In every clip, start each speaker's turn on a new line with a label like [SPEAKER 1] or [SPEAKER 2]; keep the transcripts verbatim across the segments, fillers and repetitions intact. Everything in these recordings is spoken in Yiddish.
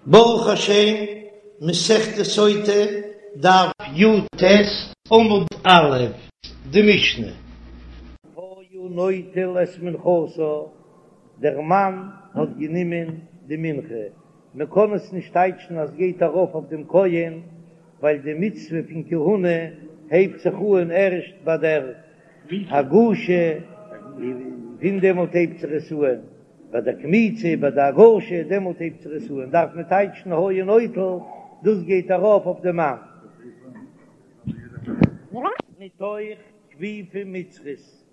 [SPEAKER 1] ברוך השם, מסכת סוטה, דף י"ט, עמוד א', די משנה. היה נוטל את מנחתה, דער מאן האט גענומען די מנחה, מען קען עס נישט טייטשן אז גייט ארויף אויף דעם כהן, ווייל די מצוה פון כהונה הייבט זיך אן ערשט ביי דער הגשה, פון דעמאלט הייבט זיך עס אן. ביי דער קמיצה, ביי די הגשה, דעמאלט הייבט זיך עס אן, דארף מען טייטשן היה נוטל, דאס גייט ארויף אויף די מאן. מתוך כפיפה מצרית,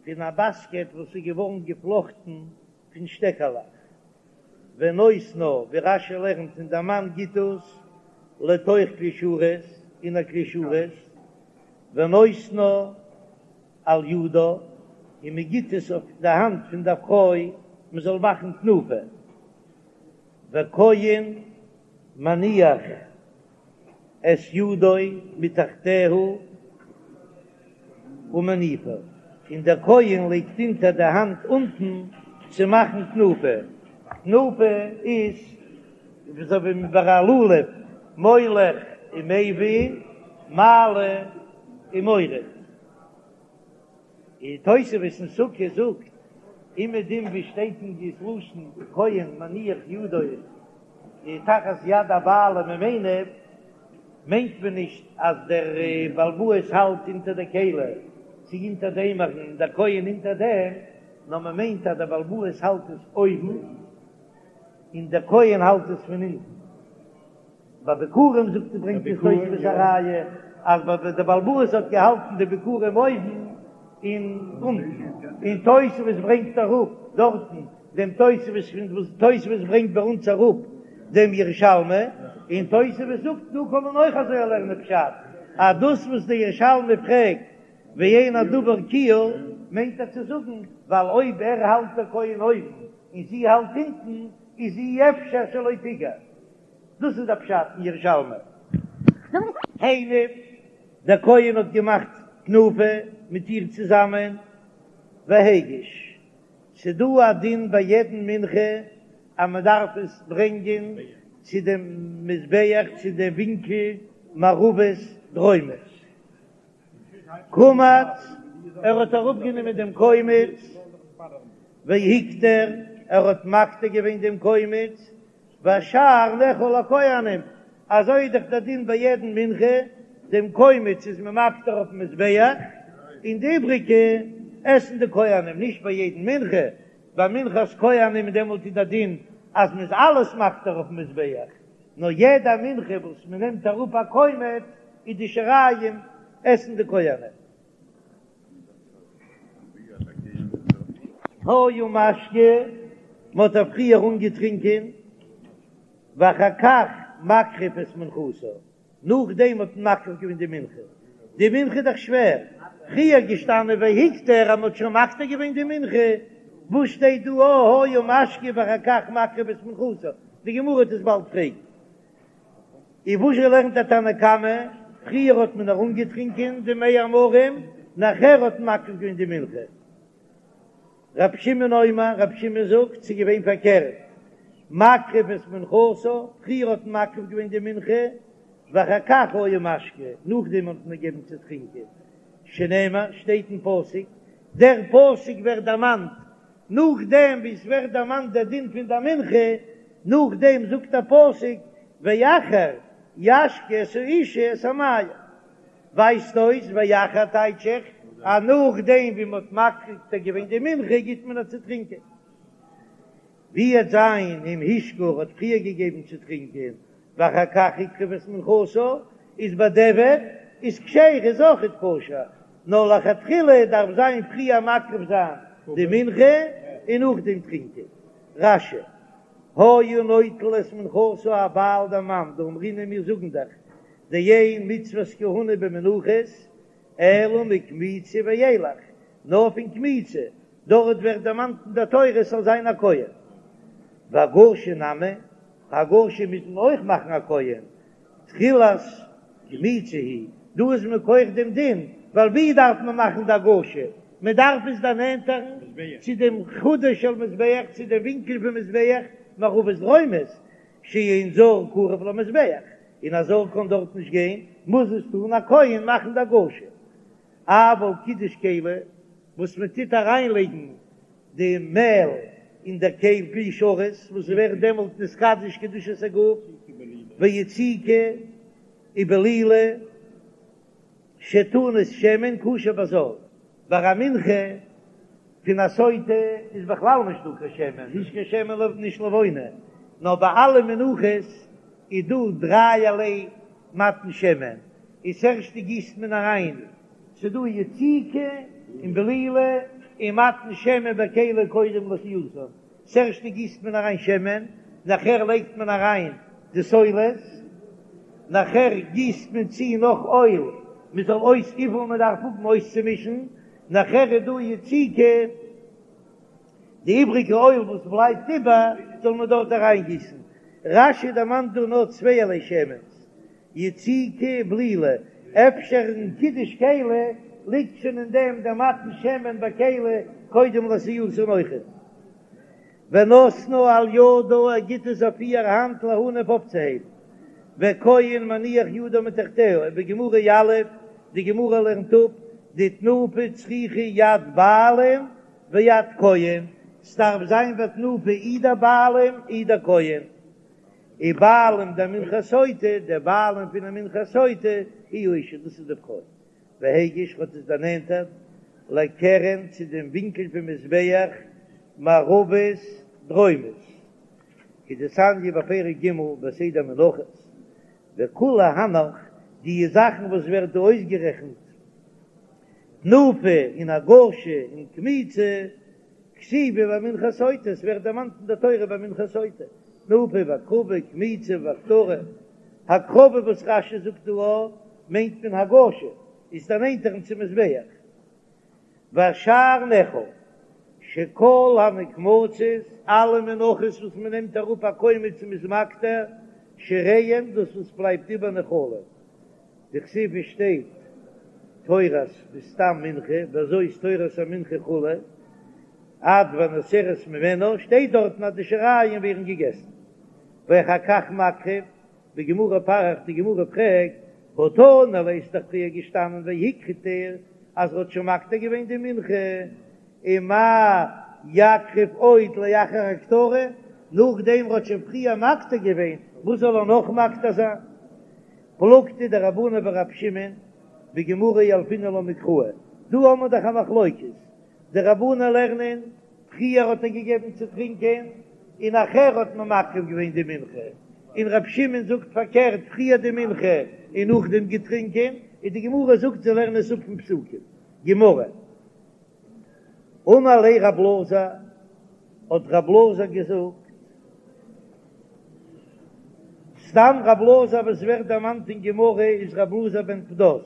[SPEAKER 1] פון א באסקעט וואס איז געווארן געפלאכטן פון שטעקעלעך, ונותנה, ווי רש"י לערנט, און דער מאן גיט דאס לתוך כלי שרת, אין א כלי שרת, ונותנה על ידה, און מען גיט עס אויף די האנט פון דער פרוי מען זאל מאכן תנופה, וכהן מניח את ידו מתחתיה ומניפה, און דער כהן לייגט אונטער די האנט אונטן צו מאכן תנופה, תנופה איז אזוי ווי ביי א לולב, מוליך ומביא, מעלה ומוריד. און תוספות אין סוכה זאגט אומעדום ווי שטייט אין די לשון כהן מניח ידו תחת יד הבעלים ומניף, מיינט מען נישט אז דער בעל הבית האלט אונטער די כלי צו אונטער די אימערן און דער כהן אונטער דעם, נאר מען מיינט אז דער בעל הבית האלט עס אויבן און דער כהן האלט עס פון אונטן. ביי ביכורים זאגט ער ברענגט עס תוספות א ראיה אז ביי די בעל הבית האט געהאלטן די ביכורים אויבן און אונטן, און תוספות ברענגט אראפ דארטן דעם תוספות פון וואס תוספות ברענגט ביי אונז אראפ דעם ירושלמי, און תוספות זאגט דא קען מען אויך אזוי לערנען פשט אז דאס וואס דער ירושלמי פרעגט ואין הדבר כיעור מיינט ער צו זאגן ווייל אויב ער האלט דער כהן אויבן און זי האלט אונטן איז אי אפשר שלא תיגע. דאס איז דער פשט אין ירושלמי. הניף, דער כהן האט געמאכט תנופה מיט איר צוזאמען, והגיש. ס'דא א דין ביי יעדן מנחה אז מען דארף עס ברענגען צו דעם מזבח צו דעם ווינקל מערבית דרומית. קמץ, ער האט אראפגענומען דעם קומץ, והקטיר, ער האט מקטיר געווען דעם קומץ, והשאר נאכל לכהנים, אזוי איז דאך דער דין ביי יעדן מנחה, דעם קומץ איז מען מקטיר אויפן מזבח, און די איבריגע עסן די כהנים, נישט ביי יעדן מנחה, ביי מנחת כהנים דעמאלט איז דער דין אז מען איז אלעס מקטיר אויפן מזבח, נאר יעדע מנחה וואס מען נעמט אראפ א קומץ איז די שיריים עסן די כהנים. היה משקה, מען האט איר פריער אנגעטרינקען, ואחר כך מקריב את מנחתה, נאכדעם האט מען מקריב געווען די מנחה, די מנחה איז דאך שווער, פריער געשטאנען והקטיר אז מען האט שוין מקטיר געווען די מנחה, וואס שטייט דא היה משקה ואחר כך מקריב את מנחתה, די גמרא וועט עס באלד פרעגן. און וואס זשע לערנט דער תנא קמא, פריער האט מען איר אנגעטרינקען די מי המרים, נאכער האט מען מקריב געווען די מנחה. רבי שמעון אומר, רבי שמעון זאגט, ס'איז געווען פארקערט, מקריב את מנחתה, פריער האט מען מקריב געווען די מנחה, ואחר כך היה משקה, נאכדעם האט מען געגעבן צו טרינקען, שנאמר, שטייט אין פסוק, דער פסוק ווערט דערמאנט נאכדעם ווי עס ווערט דערמאנט דער דין פון דער מנחה, נאכדעם זאגט דער פסוק ואחר ישקה את האשה את המים, ווייזט אויס ואחר טייטש איך אז נאכדעם ווי מען האט מקטיר געווען די מנחה גיט מען איר צו טרינקען. ווי וועט זיין אם השקה האט פריער געגעבן צו טרינקען ואחר כך הקריב את מנחתה, איז בדיעבד איז כשרה איז אויכעט כשר, נאר לכתחילה דארף זיין פריער מקריב זיין די מנחה און נאכדעם טרינקען. רש"י, היה נוטל את מנחתה הבעל דער מאן דאמרינן מיר זאגן דאך דאין מצוות כהונה במנחות אלא מקמיצה ואילך, נאר פון קמיצה, דארט ווערט דערמאנט אין דער תורה עס זאל זיין א כהן. והגשה נמי, הגשה מוז מען אויך מאכן א כהן, תחילת קמיצה היא, דא איז מכח דעם דין, ווייל ווי דארף מען מאכן די הגשה? מען דארף עס דערנענטערן צו דעם חודו של מזבח, צו דעם ווינקל פון מזבח, מערבית דרומית, שאין זר קרב למזבח, און א זר קען דארט נישט גיין, מוז עס טון א כהן מאכן די הגשה. אבל קידוש כלי, וואס מען טוט אריינלייגן די מעל אין דער כלי כלי שרת, וואס ווערט דעמאלט נתקדש קדושת הגוף, ויציקה ובלילה שטעונות שמן כשר בזר, ביי א מנחה פון א סוטה איז בכלל נישט דא קיין שמן, נישט קיין שמן נישט לבונה, נאר ביי אלע מנחות איז דא דרייערליי מתן שמן, איז ערשטע גיסט מען אריין, ס'דא יציקה און בלילה און מתן שמן בכלי קודם לעשייתן, ס'ערשטע גיסט מען אריין שמן, נאכער לייגט מען אריין די סולת, נאכער גיסט מען צו נאך אויל מען זאל אויס וויפיל מען דארף האבן אויסצומישן, נאכער איז דא יציקה, די איבריגע אויל וואס בלייבט איבער זאל מען דארט אריינגיסן. רש"י דערמאנט דא נאר צווייערליי שמן'ס, יציקה בלילה, אפשר אין קידוש כלי ליגט שוין אין דעם דער מתן שמן בכלי קודם לעשייתן אויכעט. ונותנה על ידה ער גיט עס אויף איהר האנט להניף אויפצוהייבן, וכהן מניח ידו מתחתיה, ובגמרא יליף, די גמרא לערנט אפ, דתנופה צריכה יד בעלים ויד כהן, ס'דארף זיין ביי תנופה אי דער בעלים אי דער כהן. ובעלים דמנחת סוטה, דער בעלים פון א מנחת סוטה, היא האשה, דאס איז די פרוי. והגיש האט עס דערנענטערט לקרן צו דעם ווינקל פון מזבח מערבית דרומית, כדתניא בפרק ג' בסדר מנחות, וכולהו הנך, די זאכן וואס ווערט דא אויסגערעכנט, תנופה און הגשה און קמיצה, כתיבי במנחת סוטה, עס ווערט דערמאנט אין דער תורה ביי מנחת סוטה, תנופה והקרבה, קמיצה והקטרה, הקרבה וואס רש"י זאגט דא א, מיינט מען הגשה, איז דערנענטערן צום מזבח. והשאר נאכל, שכל הנקמצות, אלע מנחות וואס מען נעמט אראפ א קומץ און מ'איז מקטיר, שיריהם, דאס וואס בלייבט איבער נאכלין. דכתיב עס שטייט תורת בסתם מנחה וזאת תורת המנחה כו' עד והנותרת ממנה שטייט דארטן אז די שיריים ווערן געגעסן ואחר כך מקריב בגמרא פריך די גמרא פרעגט הא תנא ליה ס'איז דאך פריער געשטאנען והקטיר אז ר'האט שוין מקטיר געווען די מנחה ומאי יקריב עוד לאחר הקטרה נאכדעם ר'האט שוין פריער מקטיר געווען וואס זאל ער נאך מקטיר זיין? פלוגתא דרבנן ורב שמעון, בגמרא ילפינן לה מקראי, דא האבן מיר דאך א מחלוקת, די רבנן לערנען, פריער האט ער געגעבן צו טרינקען און נאכער האט מען מקריב געווען די מנחה, און רב שמעון זאגט פארקערט, פריער די מנחה און נאכדעם געטרינקען, און די גמרא זאגט זיי לערנען עס אפ פון פסוקים. גמרא. אמר ליה רב אלעזר, האט רב אלעזר געזאגט, סתם רב אלעזר וואס ווערט דערמאנט אין גמרא איז רב אלעזר בן פדת,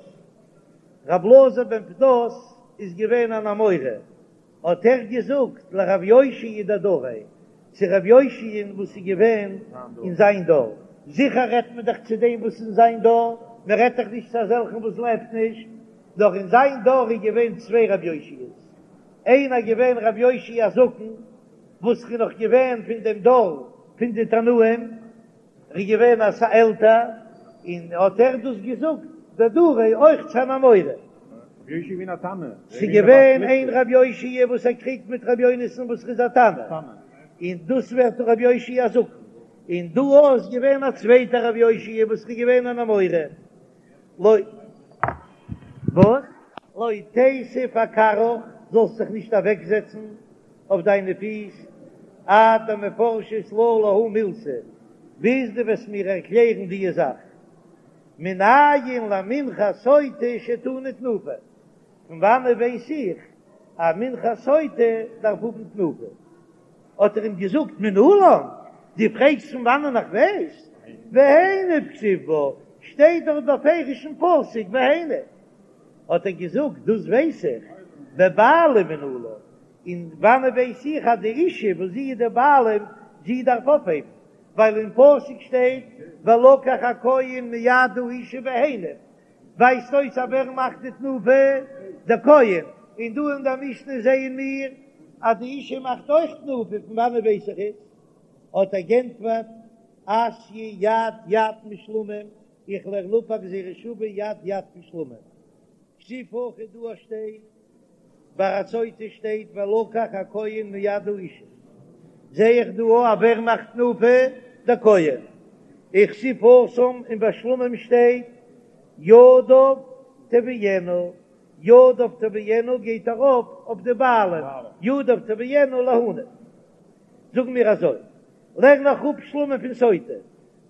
[SPEAKER 1] רב אלעזר בן פדת איז געווען אן אמורא, האט ער געזאגט לרב יאשיה דדריה, צו רב יאשיה'ן וואס איז געווען אין זיין דור, זיכער רעדט מען דאך צו דעם וואס אין זיין דור, מען רעדט דאך נישט צו אזעלכן וואס לעבט נישט, נאר אין זיין דור איז געווען צוויי רב יאשיה'ס, איינער געווען רב יאשיה הזקן וואס איז נאך געווען פון דעם דור פון די תנאים, ער איז געווען אסאך עלטער, און האט ער דאס געזאגט דדריה אויך צו אן אמורא.
[SPEAKER 2] רבי יאשיה געווען א תנא.
[SPEAKER 1] ס'איז געווען איין רבי יאשיה וואס ער קריגט מיט רבי יונתן וואס איז א תנא, און דאס ווערט רבי יאשיה הזקן, און דא איז געווען א צווייטער רבי יאשיה וואס איז געווען אן אמורא. לא. וואס? לא תיתיב אכרעך, זאלסט זיך נישט אוועקזעצן אויף דיינע פיס, עד דמפרשת לה להא מילתא, ביז דו וועסט מיר ערקלערן דיע זאך. מנין למנחת סוטה שטעונה תנופה? פון וואנעט ווייס איך אז מנחת סוטה דארף האבן תנופה? האט ער אים געזאגט, מנלן, דו פרעגסט פון וואנען איך ווייס? והניף כתיב בה, שטייט דארט בפירוש אין פסוק והניף. האט ער געזאגט, דאס ווייס איך, בבעלים מנלן, און וואנעט ווייס איך אז די אישה וואס זי איז די בעלים, זי דארף אויפהייבן, ווייל אין פסוק שטייט ולקח הכהן מיד האשה והניף, ווייזט אויס אז ווער מאכט די תנופה? דער כהן, און דא אין דער משנה זעען מיר אז די אישה מאכט אויך תנופה, פון וואנעט ווייס איך עס? האט ער גענטפערט, אתיא יד יד משלמים, איך לערן אפ א גזירה שווה יד יד פון שלמים. כתיב הכא דא שטייט ביי א סוטה שטייט ולקח הכהן מיד האשה, זעה איך דא אז ווער מאכט תנופה? דער כהן. וכתיב התם און ביי שלמים שטייט ידיו תביאינה, ידיו תביאינה גייט ארויף אויף די בעלים, ידיו תביאינה להניף. זאגן מיר אזוי, לערן איך אפ שלמים פון סוטה,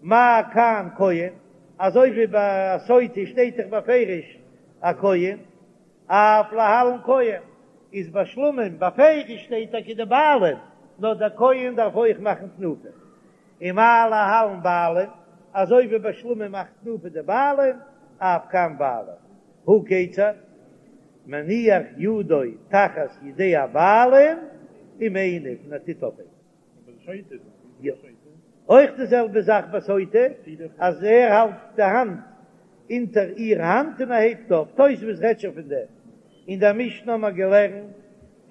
[SPEAKER 1] מה כאן כהן, אזוי ווי ביי א סוטה שטייט דאך בפירוש א כהן, אף להלן כהן, איז ביי שלמים בפירוש שטייט טאקע די בעלים, נאר דער כהן דארף אויך מאכן תנופה. ומה להלן בעלים, אזוי ווי ביי שלמים מאכט תנופה די בעלים, אף כאן בעלים. הא כיצד? מניח ידו תחת ידי הבעלים ומניף און ער טוט אויפהייבן. אויך די זעלבע זאך ביי סוטה, אז ער האלט די האנט אונטער איר האנט און ער הייבט אויף, תוספות רעדט שוין פון דעם, אין דער משנה האבן מיר געלערנט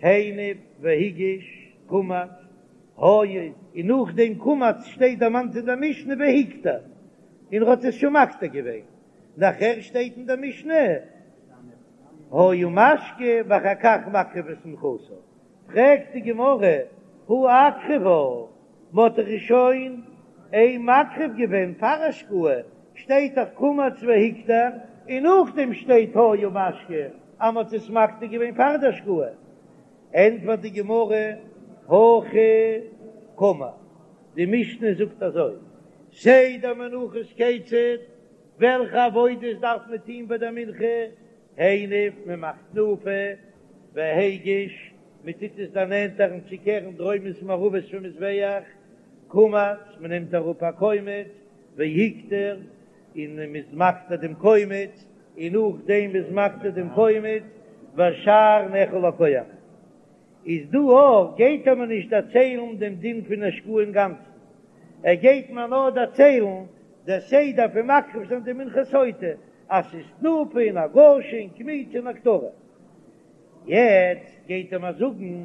[SPEAKER 1] הניף והגיש קמץ היה, און נאך דעם קמץ שטייט דערמאנט אין דער משנה והקטיר, און ער האט עס שוין מקטיר געווען, נאכער שטייט אין דער משנה היה משקה ואחר כך מקריב את מנחתו. פרעגט די גמרא, הא אקרבה, מ'האט דאך שוין אים מקריב געווען פאר השקאה, שטייט דאך קמץ והקטיר, און נאכדעם שטייט היה משקה אז מ'האט עס מקטיר געווען פאר די השקאה. ענטפערט די גמרא, הכי קאמר, די משנה זאגט אזוי, סדר מנחות כיצד, וועלכע עבודות דארף מען טון ביי דער מנחה, הניף, מען מאכט תנופה, והגיש, מען טוט עס דערנענטערן צו קרן דרומית מערבית פון מזבח, קמץ, מען נעמט אראפ א קומץ, והקטיר, און מען איז מקטיר דעם קומץ, און נאכדעם מ'איז מקטיר דעם קומץ, והשאר נאכל לכהנים. איז דא אויך גייט ער מיר נישט דערציילן דעם דין פון השקאה אינגאנצן, ער גייט מיר נאר דערציילן דער סדר פון מקריב זיין די מנחת סוטה, אז ס'איז תנופה און הגשה און קמיצה און הקטרה. יעצט גייט ער מיר זאגן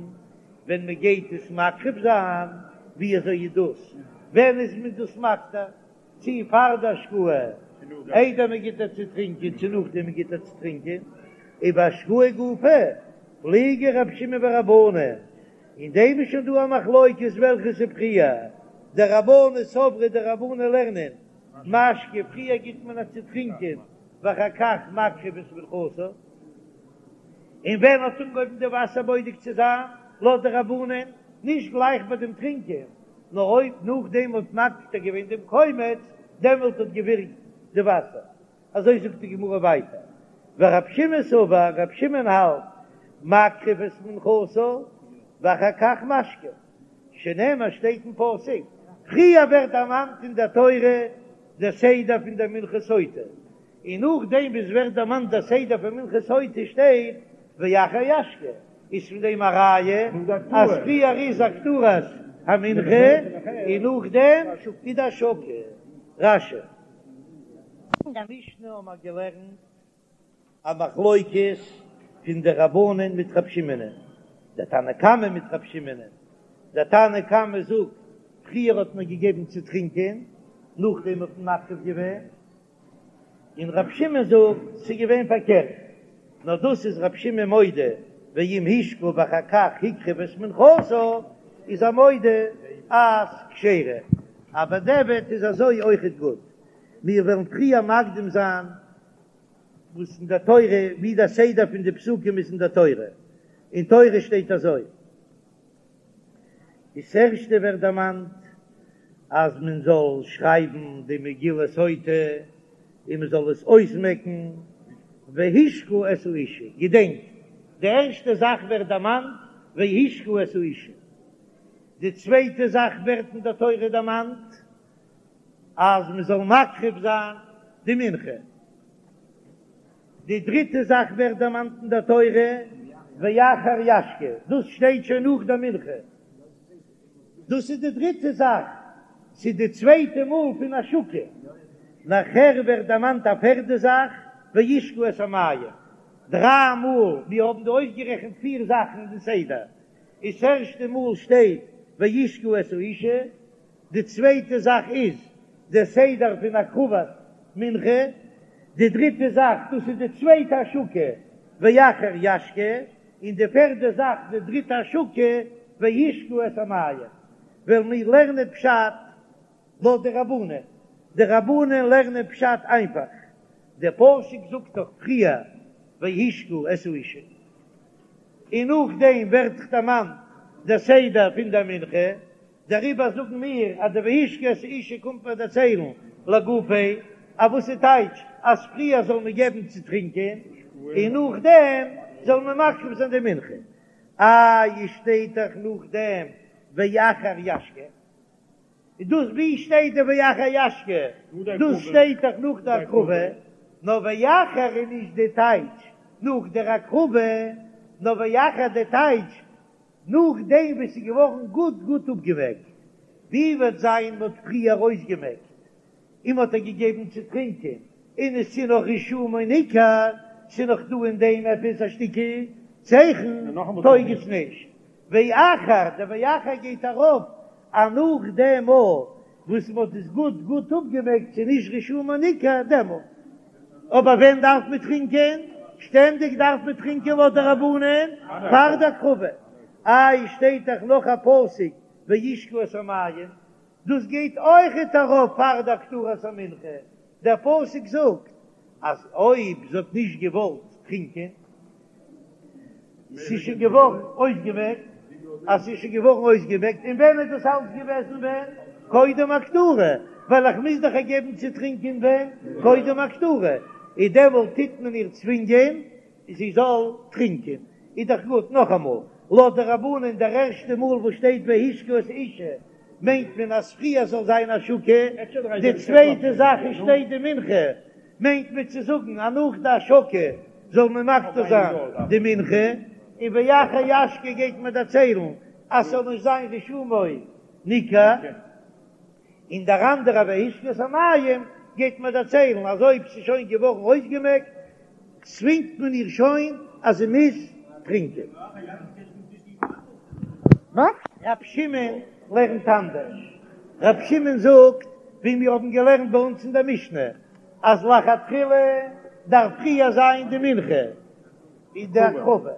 [SPEAKER 1] ווען מען גייט עס מקריב זיין, ווי אזוי איז דאס, ווען איז מען דאס מקטיר, צי פאר די השקאה איידער מען גיט איר צו טרינקען, צו נאכדעם מען גיט איר צו טרינקען, ובהשקאה גופא פליגי רב שמעון ורבנן, אין דעם איז שוין דא א מחלוקת וועלכעס איז פריער, דרבנן סברי די רבנן לערנען משקה פריער גיט מען איר צו טרינקען ואחר כך מקריב את מנחתה, און ווען האט אנגעהויבן די וואסער בודק צו זיין לויט די רבנן, נישט גלייך ביי דעם טרינקען, נאר אויב נאכדעם האט מקטיר געווען דעם קומץ, דעמאלט האט געווירקט די וואסער. אזוי זאגט די גמרא ווייטער, ורב שמעון סבר, רב שמעון האלט, מקריב את מנחתה ואחר כך משקה, שנאמר שטייט אין פסוק, פריער ווערט דערמאנט אין דער תורה דער סדר פון דער מנחת סוטה, און נאכדעם וואס ווערט דערמאנט דער סדר פון מנחת סוטה שטייט ואחר ישקה, איז פון דעם א ראיה אז פריער איז הקטרת המנחה און נאכדעם איז די השקה. רש"י. אין דער משנה האבן מיר געלערנט א מחלוקת פון די רבנן מיט רב שמעונ'ען, דער תנא קמא מיט רב שמעונ'ען, דער תנא קמא זאגט פריער האט מען געגעבן צו טרינקען נאכדעם האט מען מקריב געווען, און רב שמעון זאגט ס'איז געווען פארקערט, נאר דאס איז רב שמעון מודה ואם השקה ואחר כך הקריב את מנחתה איז ער מודה אז כשרה, אבער בדיעבד איז אזוי אויכעט גוט, מיר וועלן פריער מקדים זיין וואס אין דער תורה, ווי דער סדר פון די פסוקים איז אין דער תורה, אין תורה שטייט אזוי. דאס ערשטע ווערט דערמאנט אז מען זאל שרייבן די מגילת סוטה און מען זאל עס אויסמעקן, והשקה את האשה, געדענקט, די ערשטע זאך ווערט דערמאנט והשקה את האשה, די צווייטע זאך ווערט אין דער תורה דערמאנט אז מען זאל מקריב זיין די מנחה. די דריטע זאך ווערט דערמאנט אין דער תורה, ואחר ישקה, דאס שטייט שוין נאך דער מנחה, דאס איז די דריטע זאך, ס'איז די צווייטע מאל פון השקה, נאכער ווערט דערמאנט א פערדע זאך, וישקו את המים, דריי מאל, מיר האבן דא אויסגערעכנט פיר זאכן אין די סדר, איז ס'ערשטע מאל שטייט והשקה את האשה, די צווייטע זאך איז דער סדר פון הקרבת מנחה, די דריטע זאך דאס איז די צווייטע השקה ואחר ישקה, און די פערדע זאך די דריטע השקה והשקה את המים, וועלן מיר לערנען פשט לויט די רבנן, די רבנן לערנען פשט איינפאך, דער פסוק זאגט דאך פריער והשקה את האשה, און נאכדעם ווערט דאך דערמאנט דער סדר פון דער מנחה, דעריבער זאגן מיר אז די והשקה את האשה קומט מיר דערציילן לגופיה, אז וואס איז טייטש אז פריער זאל מען געבן צו טרינקען און נאכדעם זאל מען מקריב זיין די מנחה, איי שטייט דאך נאכדעם ואחר ישקה. איז דאס ווי שטייט די ואחר ישקה? דאס שטייט דאך נאך די הקרבה, נאר ואחר איז נישט די טייטש נאך דער הקרבה, נאר ואחר די טייטש נאכדעם וואס ס'איז געווארן גוט גוט אפגעמעקט, ווי וועט זיין מ'האט פריער אויסגעמעקט און מ'האט איר געגעבן צו טרינקען, און עס איז נאך רישומו ניכר, ס'איז נאך דא אין דעם עפעס א שטיקל צייכן, טויג עס נישט. ואחר, דער ואחר גייט ארויף אז נאך דעם מאל וואס מ'האט עס גוט גוט אפגעמעקט ס'איז נישט רישומו ניכר דעמאלט. אבער ווען דארף מען טרינקען? שטענדיג דארף מען טרינקען לויט די רבנן פאר די הקרבה. איי שטייט דאך נאך א פסוק והשקה את המים, דאס גייט אויכעט ארויף פאר די הקטרת המנחה, דער פסוק זאגט אז אויב זי האט נישט געוואלט טרינקען, ס'איז שוין געווארן אויסגעמעקט, אז ס'איז שוין געווארן אויסגעמעקט, און ווען איז דאס אלץ געוועזן ווען? קודם הקטרה, ווייל איך מוז דאך איר געבן צו טרינקען ווען? קודם הקטרה, און דעמאלט טוט מען איר צווינגען זי זאל טרינקען, איז דאך גוט, נאכאמאל, לויט די רבנן דער ערשטע מאל וואס שטייט והשקה את האשה מיינט מען אז פריער זאל זיין השקה, די צווייטע זאך איז שטייט די מנחה מיינט מען צו זאגן אז נאך די השקה זאל מען מקטיר זיין די מנחה, און ואחר ישקה גייט מען דערציילן אז ס'זאל נישט זיין רישומו ניכר. און דער אנדערע והשקה את המים גייט מען דערציילן אז אויב ס'איז שוין געווארן אויסגעמעקט צווינגט מען איר שוין אז זי מוז טרינקען. רב שמעון לערנט אנדערש, רב שמעון זאגט ווי מיר האבן געלערנט ביי אונז אין דער משנה אז לכתחילה דארף פריער זיין די מנחה און די הקרבה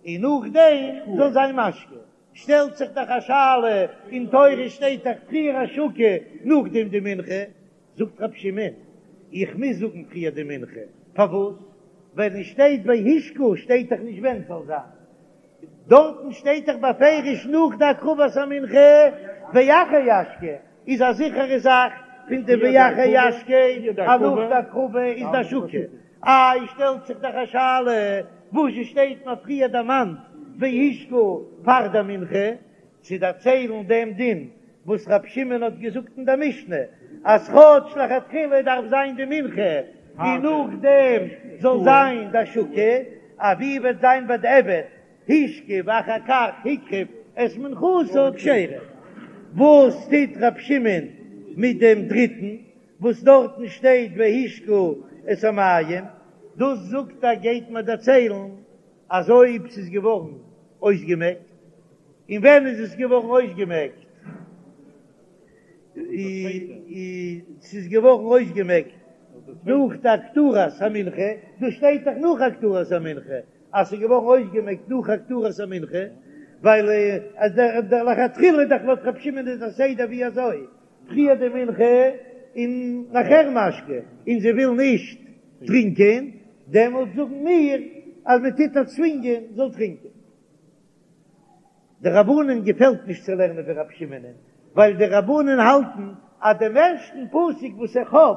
[SPEAKER 1] און נאכדעם זאל זיין משקה, שטעלט זיך דאך א שאלה, אין תורה שטייט דאך פריער השקה נאכדעם די מנחה, זאגט רבי שמעון, איך מוז זאגן פריער די מנחה, פארוואס? ווייל עס שטייט והשקה שטייט דאך נישט ווען ס'זאל זיין, דארטן שטייט דאך בפירוש נאך די הקרבת המנחה ואחר ישקה, איז א זיכערע זאך פון די ואחר ישקה אז נאך די הקרבה איז די השקה, איי שטעלט זיך דאך א שאלה, וואס שטייט מיר פריער דערמאנט והשקה פאר די מנחה, צו דערציילן דעם דין וואס רבי שמעון האט געזאגט אין דער משנה, אז כאטש לכתחילה דארף זיין די מנחה און נאכדעם זאל זיין די השקה, אבי וועט זיין בדיעבד השקה ואחר כך הקריב את מנחתה כשרה. וואס טוט רבי שמעון מיט דעם דריטן וואס דארטן שטייט והשקה את המים, דאס זאגט ער גייט מיר דערציילן אז אויב ס'איז געווארן אויסגעמעקט, און ווען איז עס געווארן אויסגעמעקט? ס'איז געווארן אויסגעמעקט נאך די הקטרת המנחה, דא שטייט דאך נאך הקטרת המנחה אז ס'איז געווארן אויסגעמעקט נאך הקטרת המנחה, ווייל אז דער לכתחילה איז דאך לויט רב שמעון איז דער סדר ווי אזוי פריער די מנחה און נאכער משקה, און זי וויל נישט טרינקען, דעמאלט זאגן מיר אז מען טוט איר צווינגען זאל טרינקען. די רבנן געפעלט נישט צו לערנען ווי רבי שמעונ'ען, ווייל די רבנן האלטן אז דעם ערשטן פסוק וואס איך האב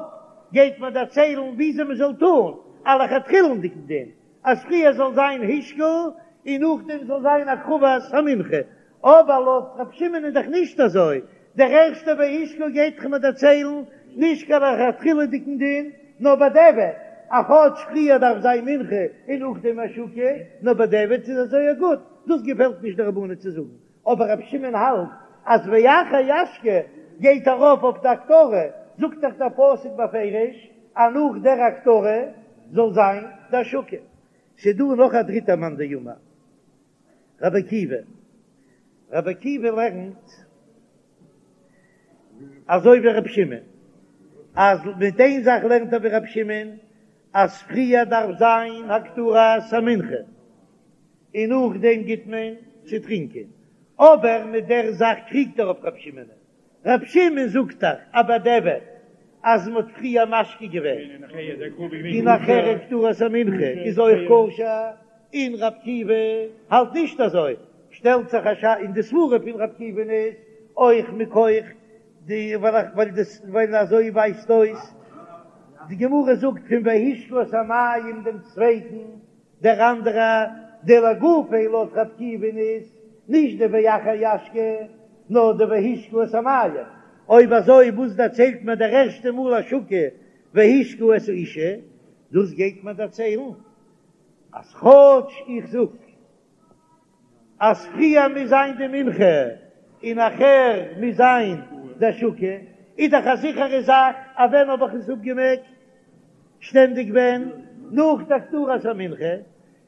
[SPEAKER 1] גייט מיר דערציילן וויאזוי מען זאל טון א לכתחילה'דיגן דין, אז פריער זאל זיין השקה און נאכדעם זאל זיין הקרבת המנחה, אבער לויט רבי שמעון איז דאך נישט אזוי, דער ערשטער והשקה גייט דאך מיר דערציילן נישט קיין לכתחילה'דיגן דין, נאר בדיעבד, אז כאטש פריער דארף זיין מנחה און נאכדעם השקה, נאר בדיעבד איז אזוי גוט, דאס געפעלט נישט די רבנן צו זאגן, אבער רבי שמעון האלט אז ואחר ישקה גייט ארויף אויף די הקטרה, זאגט דאך דער פסוק בפירוש אז נאך דער הקטרה זאל זיין די השקה. ס'דא נאך א דריטער מאן דאמר, רבי עקיבא, רבי עקיבא לערנט אזוי ווי רבי שמעון, אז מיט איין זאך לערנט ער ווי רבי שמעון, אז פריער דארף זיין הקטרת המנחה און נאכדעם גיט מען צו טרינקען, אבער מיט דער זאך קריגט ער אויף רבי שמעון, רבי שמעון זאגט דאך אז בדיעבד אז מען האט פריער משקה געווען און נאכהער הקטרת המנחה איז אויך כשר, און רבי עקיבא האלט נישט אזוי, שטעלט זיך א שאלה און די סברה פון רבי עקיבא'ן איז אויך מכח די ווייל דאס ווייל אזוי ווייזט אויס די גמרא זאגט פון והשקה את המים דעם צווייטן דער אנדערע דלגופיה לויט רבי עקיבא'ן איז נישט די ואחר ישקה נאר די והשקה את המים, אויב אזוי וואס דערציילט מיר דער ערשטע מאל השקה והשקה את האשה, דאס גייט מיר דערציילן אז כאטש איך זאג אז פריער מוז זיין די מנחה און נאכער מוז זיין די השקה, איז דאך א זיכערע זאך אז ווען האב איך עס אפגעמעקט? שטענדיג ווען? נאך די הקטרת המנחה,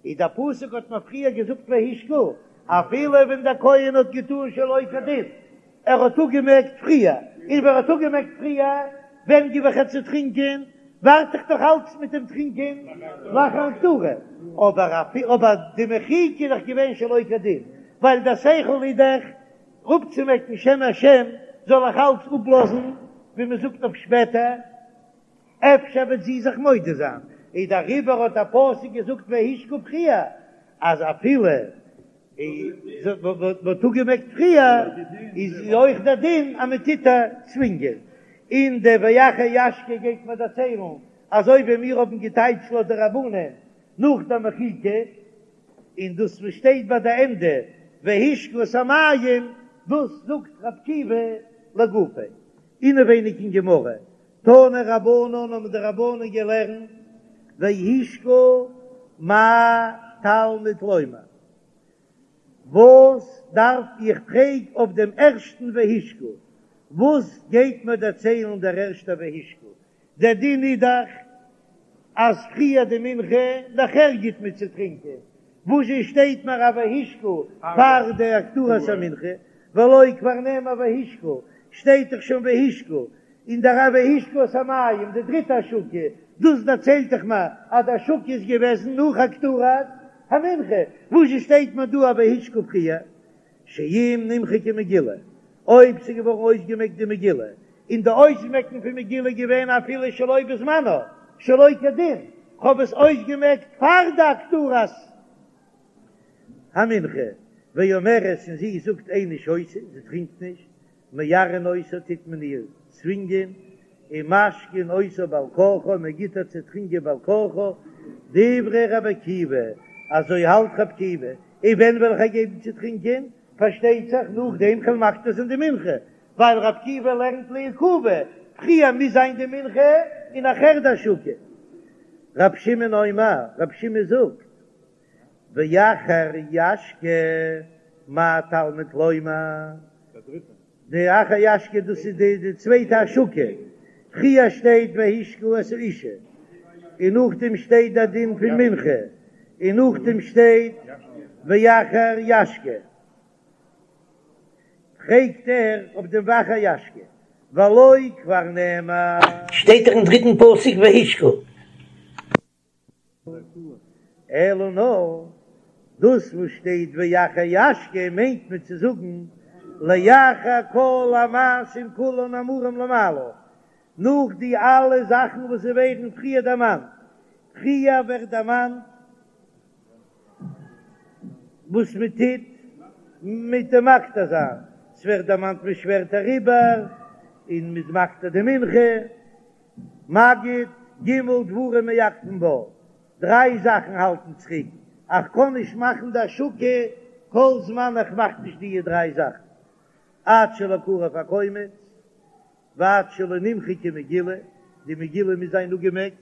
[SPEAKER 1] איז דער פסוק האט מיר פריער געזאגט והשקה, אפילו ווען דער כהן האט געטאן שלא כדין, ער האט אפגעמעקט פריער, און ווען ער האט אפגעמעקט פריער, ווען גיב איך איר צו טרינקען? ווארט איך דאך אלץ מיט דעם טרינקען לאחר הקטרה, אבער אבער די מחיקה איז דאך געווען שלא כדין, ווייל דער שכל איז דאך אפצומעקן שם השם, זאל איך אלץ אפלאזן ווי מען זאגט אויף שפעטער, אפשר וועט זי זיך מודה זיין, איז דעריבער האט דער פסוק געזאגט והשקה פריער, אז אפילו מ'האט אפגעמעקט פריער איז אויך דער דין אז מען טוט איר צווינגען, און די ואחר ישקה גייט מען דערציילן אזוי ווי מיר האבן געטייטשט לויט די רבנן נאך די מחיקה, און דאס וואס שטייט ביי די ענדע והשקה את המים דאס זאגט רבי עקיבא לגופיה, אינעווייניג אין גמרא תנו רבנן האבן די רבנן געלערנט והשקה מה תלמוד לומר, וואס דארף איך פרעג אויף דעם ערשטן והשקה, וואס גייט מיר דערציילן דער ערשטער והשקה, דער דין איז דאך אז פריער די מנחה נאכער גיט מען צו טרינקען, וואזשע שטייט מיר א והשקה פאר די הקטרת המנחה, והלא כבר נאמר והשקה, שטייט דאך שוין והשקה, און דער והשקה את המים, די דריטע השקה, דאס דערציילט דאך מיר אז די השקה איז געוועזן נאך הקטרת המנחה, וואזשע שטייט מיר דא א והשקה פריער? שאם נמחקה מגילה, אויב ס'איז געווארן אויסגעמעקט די מגילה, און די אויסמעקן פון מגילה איז געווען אפילו שלא בזמנה, שלא כדין, כ'האב עס אויסגעמעקט פאר די הקטרת המנחה, ואומרת און זי זאגט איני שותה, זי טרינקט נישט, מערערין אותה טוט מען איר צווינגען, ומשקין אותה בעל כרחה, מען גיט איר צו טרינקען בעל כרחה, דברי רבי עקיבא, אזוי האלט רבי עקיבא, און ווען וועל איך איר געבן צו טרינקען? פארשטייט זיך נאכדעם כ'וועל מקטיר זיין די מנחה, ווייל רבי עקיבא לערנט לעיכובא, פריער מוז זיין די מנחה און נאכער די השקה. רבי שמעון אומר, רבי שמעון זאגט, ואחר ישקה, מה תלמוד לומר? די אחר ישקה דאס איז די די צווייטע השקה, פריער שטייט והשקה את האשה, און נאכדעם שטייט די דין פון מנחה, און נאכדעם שטייט ואחר ישקה. פרעגט ער אויף דעם ואחר ישקה, והלא כבר נאמר.
[SPEAKER 3] שטייט דאך אין דריטן פסוק והשקה.
[SPEAKER 1] אלא נאר דאס וואס שטייט ואחר ישקה מיינט מען צו זאגן לאחר כל המעשים כולן האמורים למעלה, נאך די אלע זאכן וואס זיי ווערן פריער דערמאנט, פריער ווערט דערמאנט וואס מען טוט מיט די מקטיר זיין, ס'ווערט דערמאנט מען שווערט אריבער און מ'איז מקטיר די מנחה. מגיד, ג' דברים מעכבין בה, דריי זאכן האלטן צוריק, איך קען נישט מאכן די השקה כל זמן איך מאך נישט דיע דריי זאכן, עד שלא קרב הקומץ, ועד שלא נמחקה מגילה, די מגילה מוז זיין אפגעמעקט,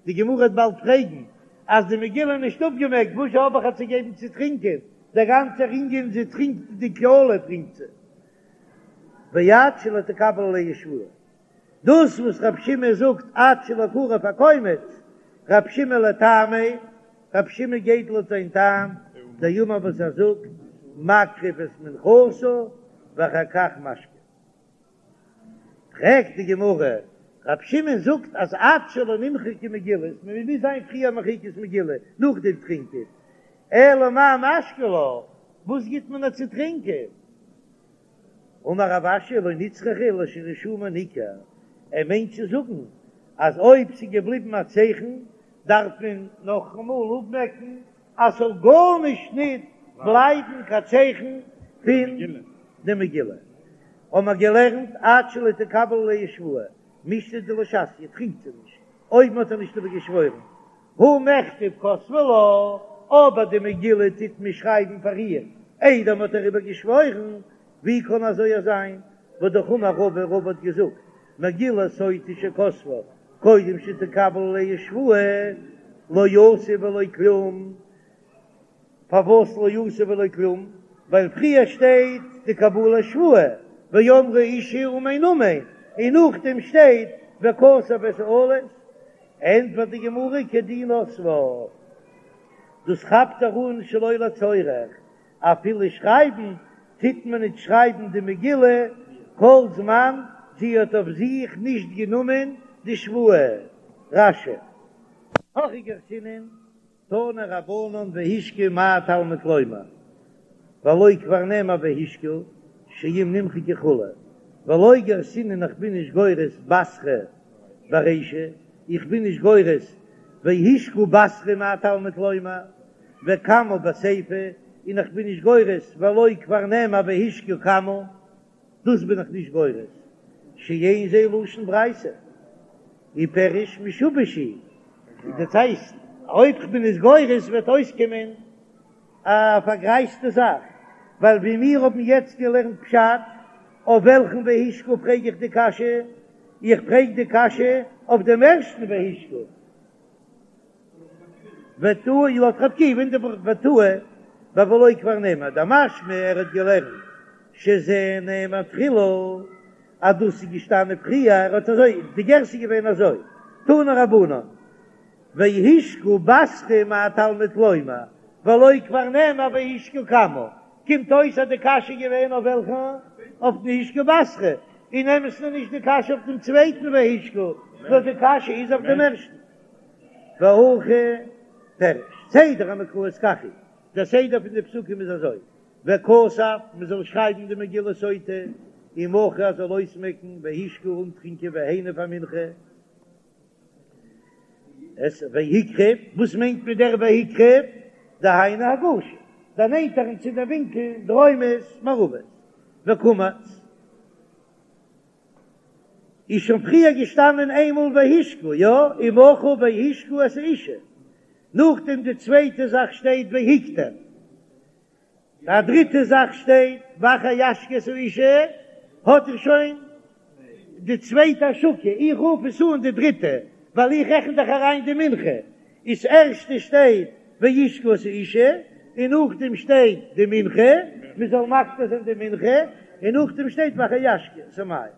[SPEAKER 1] די גמרא וועט באלד פרעגן, אז די מגילה איז נישט אפגעמעקט וואס האב איך איר צו געבן צו טרינקען, דער גאנצער ענין זי טרינקט די קללה טרינקט זי, ועד שלא תקבל עליה שבועה. דאס וואס רב שמעון זאגט עד שלא קרב הקומץ, רב שמעון לטעמיה, רב שמעון גייט לויט זיין טעם, דאמר וואס ער זאגט, מקריב את מנחתה ואחר כך משקה. פרעגט די גמרא, רב שמעון זאגט אז עד שלא נמחקה מגילה, מען מוז זיין פריער מחיקת מגילה נאכדעם טרינקען, אלא מאי משקי לה, וואס גיט מען איר צו טרינקען? אמר רב אשי לא נצרכה לשרישומה ניכר, ער מיינט צו זאגן אז אויב ס'איז געבליבן א צייכן דארף מען נאכאמאל אפמעקן אז ס'זאל גארנישט ניט בלייבן קיין צייכן פון די מגילה. האבן מיר געלערנט עד שלא תקבל עליה שבועה, מישתא דלא שתיא, טרינקט זי נישט אויב מ'האט איר נישט איבער געשוואוירן, הא מכתב כתבי לה, אבער די מגילה טוט מען שרייבן פאר איר איידער מ'האט איר איבער געשוואוירן, ווי קען אזוי זיין? והא אמר רבא, רבא האט געזאגט, מגילת סוטה שכתבה קודם שתקבל עליה שבועה, לא עשו ולא כלום. פארוואס לא עשו ולא כלום? ווייל פריער שטייט די קבלת שבועה, ואמרה האשה אמן אמן, און נאכדעם שטייט וכתב את האלות. ענטפערט די גמרא כדי נסבה, דאס כאפט ער אן שלא לצורך, אפילו שרייבן טוט מען ניט שרייבן די מגילה כל זמן זי האט אויף זיך נישט גענומען די שבועה. רש"י. הכי גרסינן, תנו רבנן והשקה מה תלמוד לומר, והלא כבר נאמר והשקה שאם נמחקה כו', ולא גרסינן איך בין נישט גורס בתרא ברישא, איך בין נישט גורס והשקה בתרא מה תלמוד לומר, וקמא בסיפא, און איך בין נישט גורס והלא כבר נאמר והשקה קמא, דאס בין איך נישט גורס, שאין זה לשון ברייתא, ופירוש משובש הוא, דאס הייסט אויב כ'בין עס גורס וועט אויסקומען א פארגרייזטע זאך, ווייל ווי מיר האבן יעצט געלערנט פשט, אויף וועלכן והשקה פרעג איך די קשיא? איך פרעג די קשיא אויף דעם ערשטן והשקה. ותהי לויט רבי עקיבא אין די ותהי בבלא כבר נאמר דמשמע ער האט געלערנט שזה נאמר תחילה אז דאס איז געשטאנען פריער ער האט אזוי די גרסה איז געווען אזוי תנו רבנן והשקה בתרא מה תלמוד לומר והלא כבר נאמר והשקה קמא קומט אויס אז די קשיא איז געווען אויף וועלכע אויף די והשקה בתרא אין אמת'ן איז נישט די קשיא אויף דעם צווייטן והשקה נאר די קשיא איז אויף דעם ערשטן. והכי פירוש, סדר המקראות כך הוא, דער סדר פון די פסוקים איז אזוי, וכתב, מען זאל שרייבן די מגילת סוטה, ומחה ער זאל אויסמעקן, והשקה אנטרינקען והניף א מנחה, את והקריב, וואס מיינט מען דער והקריב? דהיינו הגשה, דערנענטערן צו דער ווינקל דרומית מערבית, וקמץ. איז שוין פריער געשטאנען איינמאל והשקה, יא, ומחה והשקה את האשה, נאכדעם די צווייטע זאך שטייט והקטיר, א דריטע זאך שטייט ואחר ישקה את האשה, האט ער שוין די צווייטע השקה, איך רוף עס אן די דריטע ווייל איך רעכן דאך אריין די מנחה, איז ערשטע שטייט והשקה את האשה, און נאכדעם שטייט די מנחה, מען זאל מקטיר זיין די מנחה, און נאכדעם שטייט ואחר ישקה את המים,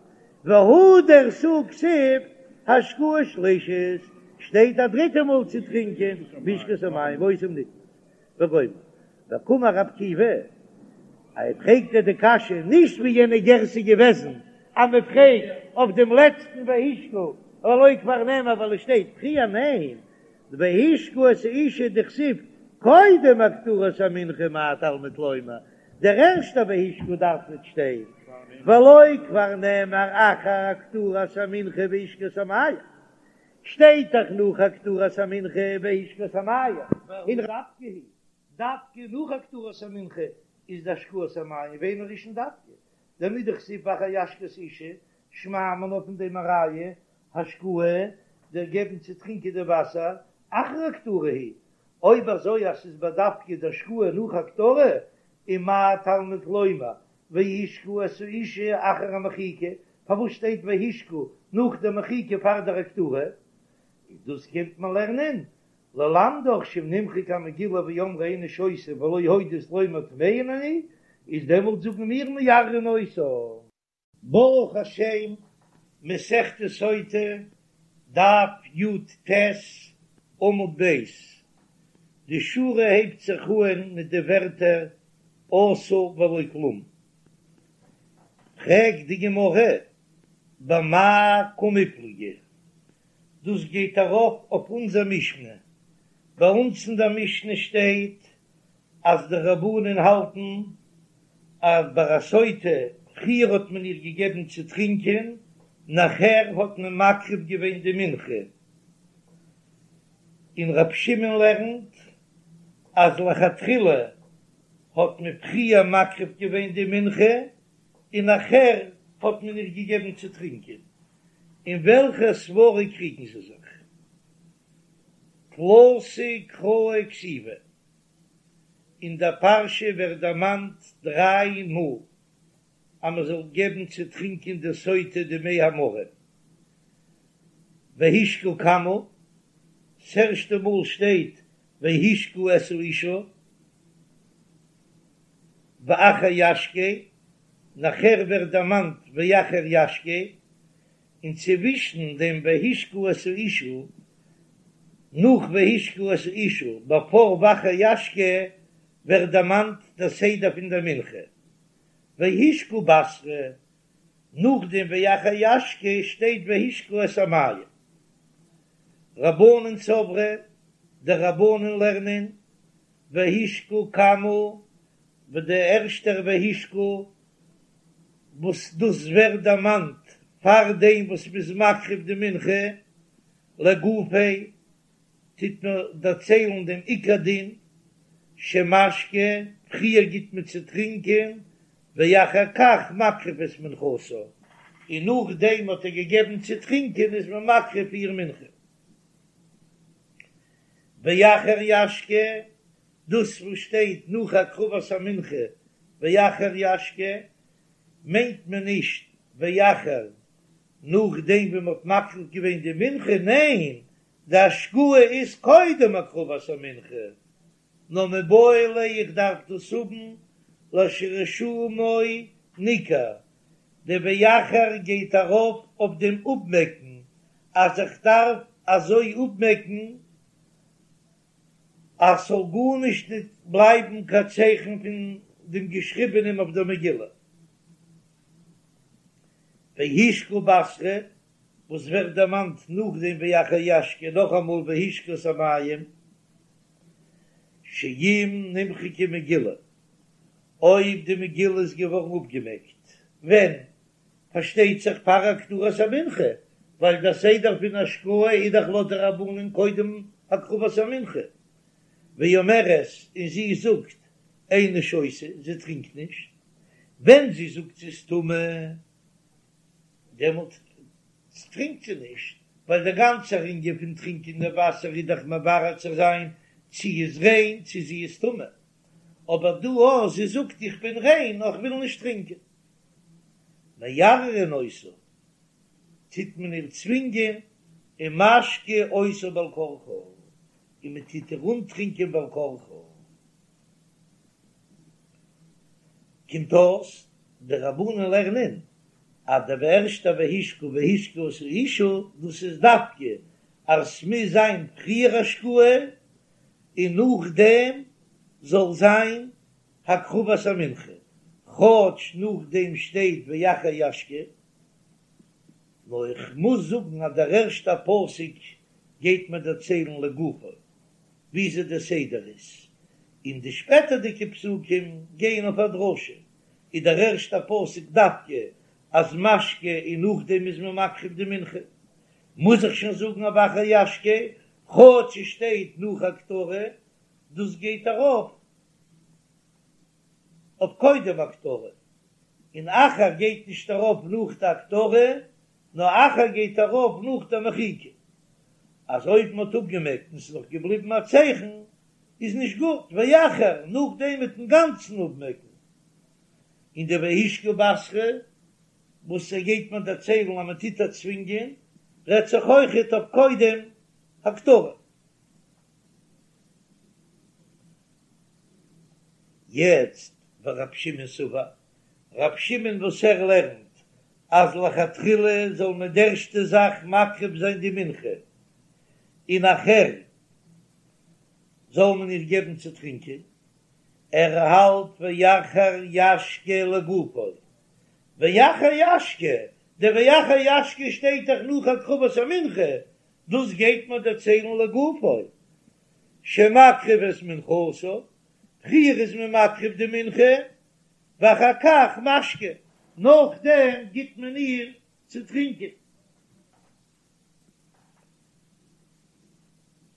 [SPEAKER 1] והדר תו כתיב השקאה שלישית, שטייט א דריטע מאל צו טרינקען והשקה את המים ואותם נתנת וגומר, וקאמר רבי עקיבא, ער פרעגט ער די קשיא נישט ווי יענע גרסה געוועזן אז מען פרעגט אויף דעם לעצטן והשקה והלא כבר נאמר ווייל עס שטייט פריער ניין והשקה את האשה דכתיב קודם הקטרת המנחה מה תלמוד לומר דער ערשטער והשקה דארף נישט שטיין והלא כבר נאמר אחר הקטרת המנחה והשקה את המים שטייט דאך נאך הקטרת המנחה והשקה את המים און דווקא היא דווקא נאך הקטרת המנחה איז די השקאת המים ואינו ראשון דווקא דמדכתיב ואחר ישקה את האשה שמע מינה פון דעם א ראיה השקאה דער געבן צו טרינקען די וואסער אחר הקטרה היא אויב אזוי אז ס'איז בדווקא די השקאה נאך הקטרה ומה תלמוד לומר והשקה את האשה אחר המחיקה פארוואס שטייט והשקה נאך די מחיקה פאר דער הקטרה איז דאס קומט מען לערנען ללמדך שאם נמחקה המגילה ואמרה איני שותה ולא הודית לומר טמאה אני, איז דעמאלט זאגן מיר מערערין אותה. ברוך השם, מסכת סוטה, דף י"ט, עמוד ב', די שורה הייבט זיך אהן מיט די ווערטער עשו ולא כלום. פרעגט די גמרא, במאי קמיפלגי, דאס גייט ארויף אויף אונזער משנה, ביי אונז אין דער משנה שטייט אז די רבנן האלטן אז ביי א סוטה פריער האט מען איר געגעבן צו טרינקען, נאכער האט מען מקריב געווען די מנחה, און רב שמעון לערנט אז לכתחילה האט מען פריער מקריב געווען די מנחה און נאכער האט מען איר געגעבן צו טרינקען, אין וועלכע סברא קריגן זיי זיך? תלתא קראי כתיבי, אין דער פרשה ווערט דערמאנט דריי מאל אז מען זאל געבן צו טרינקען די סוטה די מי המרים, והשקה כמה, ס'ערשטע מאל שטייט והשקה את האשה, ואחר ישקה, נאכער ווערט דערמאנט ואחר ישקה, און צווישן דעם והשקה את האשה, נאך והשקה את האשה, בעפאר ואחר ישקה, ווערט דערמאנט דער סדר פון דער מנחה, והשקה בתרא, נאכדעם ואחר ישקה שטייט והשקה את המים. רבנן סברי, די רבנן לערנען והשקה כמה, וואס דער ערשטער והשקה וואס דאס ווערט דערמאנט פאר דעם וואס מ'איז מקריב די מנחה לגופיה, טוט מען דערציילן דעם עיקר דין, שמשקה, פריער גיט מען צו טרינקען, ואחר כך מקריב את מנחתה, און נאכדעם האט ער געגעבן צו טרינקען איז מען מקריב איר מנחה. ואחר ישקה, דאס וואס שטייט נאך הקרבת המנחה ואחר ישקה, מיינט מען נישט ואחר נאכדעם ווי מען האט מקריב געווען די מנחה, ניין, די השקאה איז קודם הקרבת המנחה, נאר מיבעי ליה איך דארף דאס האבן לשרישומו ניכר, די ואחר גייט ארויף אויף דעם אפמעקן אז איך דארף אזוי אפמעקן אז ס'זאל גארנישט ניט בלייבן קיין צייכן פון דעם געשריבענעם אויף דער מגילה. והשקה בתרא, וואס ווערט דערמאנט נאכדעם ואחר ישקה נאכאמאל והשקה את המים, שאם נמחקה מגילה, אויב די מגילה איז געווארן אפגעמעקט, ווען? פארשטייט זיך פאר הקטרת המנחה, ווייל דער סדר פון השקאה איז דאך לויט די רבנן קודם הקרבת המנחה, ואומרת, און זי זאגט איני שותה, זי טרינקט נישט, ווען זי זאגט זי איז טמא, דעמאלט טרינקט זי נישט, ווייל דער גאנצער ענין פון טרינקען די וואסער איז דאך מברר צו זיין צי איז ריין צי זי איז טמא, אבער דא אויב זי זאגט איך בין ריין נאר איך וויל נישט טרינקען. מערערין אותה, טוט מען איר צווינגען, ומשקה אותה בעל כרחה, און מען טוט איר אנטרינקען בעל כרחה. קומט אויס, די רבנן לערנען אז דער ערשטער והשקה והשקה את האשה, דאס איז דווקא אז ס'מוז זיין פריער השקאה און נאכדעם זאל זיין הקרבת המנחה, כאטש נאכדעם שטייט ואחר ישקה, נאר איך מוז זאגן אז דער ערשטער פסוק גייט מיר דערציילן לגופו וויאזוי דער סדר איז, און די שפעטערדיגע פסוקים גייען אויף א דרשה, איז דער ערשטער פסוק דווקא אז משקה און נאכדעם איז מען מקריב די מנחה, מוז איך שוין זאגן אז ואחר ישקה, כאטש עס שטייט נאך הקטרה, דאס גייט ארויף אויף קודם הקטרה, און אחר גייט נישט ארויף נאך די הקטרה, נאר אחר גייט ארויף נאך די מחיקה, אז אויב מען האט אפגעמעקט און ס'איז נאך געבליבן א צייכן איז נישט גוט, ואחר נאכדעם מיטן גאנצן אפמעקן, און די והשקה בתרא וואס ער גייט מיר דערציילן אז מען טוט איר צווינגען, רעדט זיך אויכעט אויף קודם הקטרה. יעצט ורב שמעון סבר, רב שמעון וואס ער לערנט אז לכתחילה זאל מען די ערשטע זאך מקריב זיין די מנחה און נאכער זאל מען איר געבן צו טרינקען, ער האלט ואחר ישקה לגופו, ואחר ישקה דער ואחר ישקה שטייט דאך נאך הקרבת המנחה, דאס גייט מען דערציילן לגופו, שמקריב את מנחתה, פריער איז מען מקריב די מנחה, ואחר כך משקה, נאכדעם גיט מען איר צו טרינקען.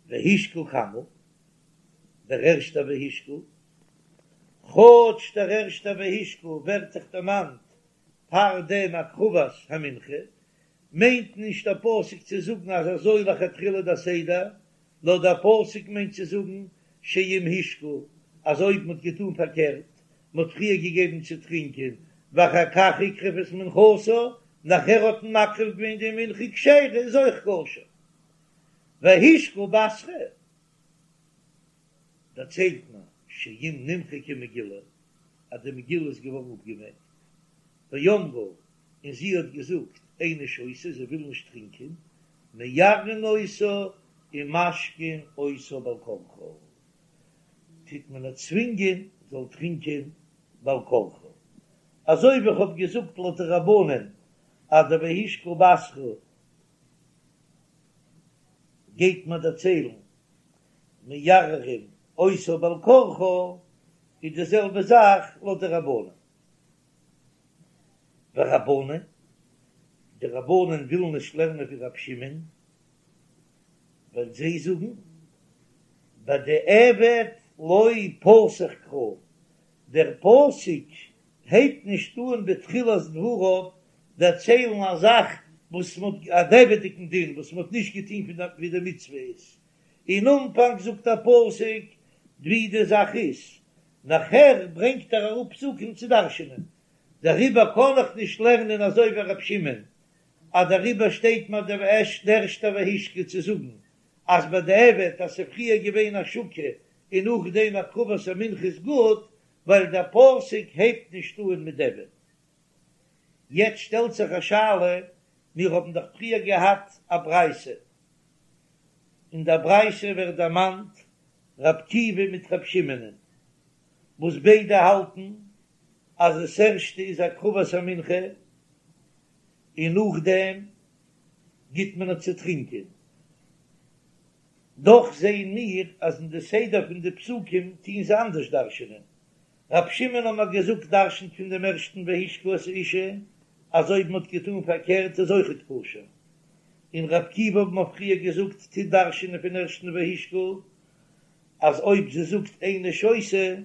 [SPEAKER 1] והשקה כמה, דער ערשטער והשקה, כאטש דער ערשטער והשקה ווערט דאך דערמאנט פאר דעם הקרבת המנחה, מיינט נישט דער פסוק צו זאגן אז אזוי לכתחילה דער סדר, נאר דער פסוק מיינט צו זאגן שאם השקה, אז אויב מ'האט געטון פארקערט, מ'האט פריער געגעבן צו טרינקען, ואחר כך הקריב את מנחתה, נאכער האט מען מקריב געווען די מנחה כשרה איז אויך כשר. והשקה בתרא, דערציילט מען שאם נמחקה מגילה, אז די מגילה איז געווארן אפגעמעקט, ואמרה, און זי האט געזאגט איני שותה, זי וויל נישט טרינקען, מערערין אותה ומשקין אותה בעל כרחה, טוט מען איר צווינגען זאל טרינקען בעל כרחה, אזוי ווי איך האב געזאגט לויט די רבנן אז די והשקה בתרא גייט מען דערציילן מערערין אותה בעל כרחה, איז די זעלבע זאך לויט די רבנן. ורבנן, די רבנן ווילן נישט לערנען ווי רב שמעון, ווייל זיי זאגן בדיעבד לא פתח קרא, דער פסוק הייבט נישט אן בתחילת דבריו דערציילן א זאך וואס מען האט א דיעבד'דיגן דין וואס מען האט נישט געטון פון ווי די מצוה איז, אין אנפאנג זאגט דער פסוק ווי די זאך איז, נאכער ברענגט ער אראפ פסוקים צו דרש'נען, דעריבער קען איך נישט לערנען אזוי ווי ר' שמעון, אז דעריבער שטייט מיר דער ערשטער והשקה צו זאגן אז בדיעבד אז ס'איז פריער געווען השקה און נאכדעם הקרבת המנחה איז גוט, ווייל דער פסוק הייבט נישט אן מיט דיעבד. יעצט שטעלט זיך א שאלה, מיר האבן דאך פריער געהאט א ברייתא, אין דער ברייתא ווערט דערמאנט ר' עקיבא מיט ר' שמעונ'ען, וואס ביידע האלטן אז דאס ערשטע איז הקרבת המנחה און נאכדעם גיט מען איר צו טרינקען, דאך זעען מיר אז אין די סדר פון די פסוקים טוהן זיי אנדערש דרש'נען, ר' שמעון האט מען געזאגט דרש'נט פון דעם ערשטן והשקה את האשה אז אויב מען האט געטאן פארקערט איז אויכעט כשר, און ר' עקיבא האט מען פריער געזאגט טוט דרש'נען פון ערשטן והשקה אז אויב זי זאגט איני שותה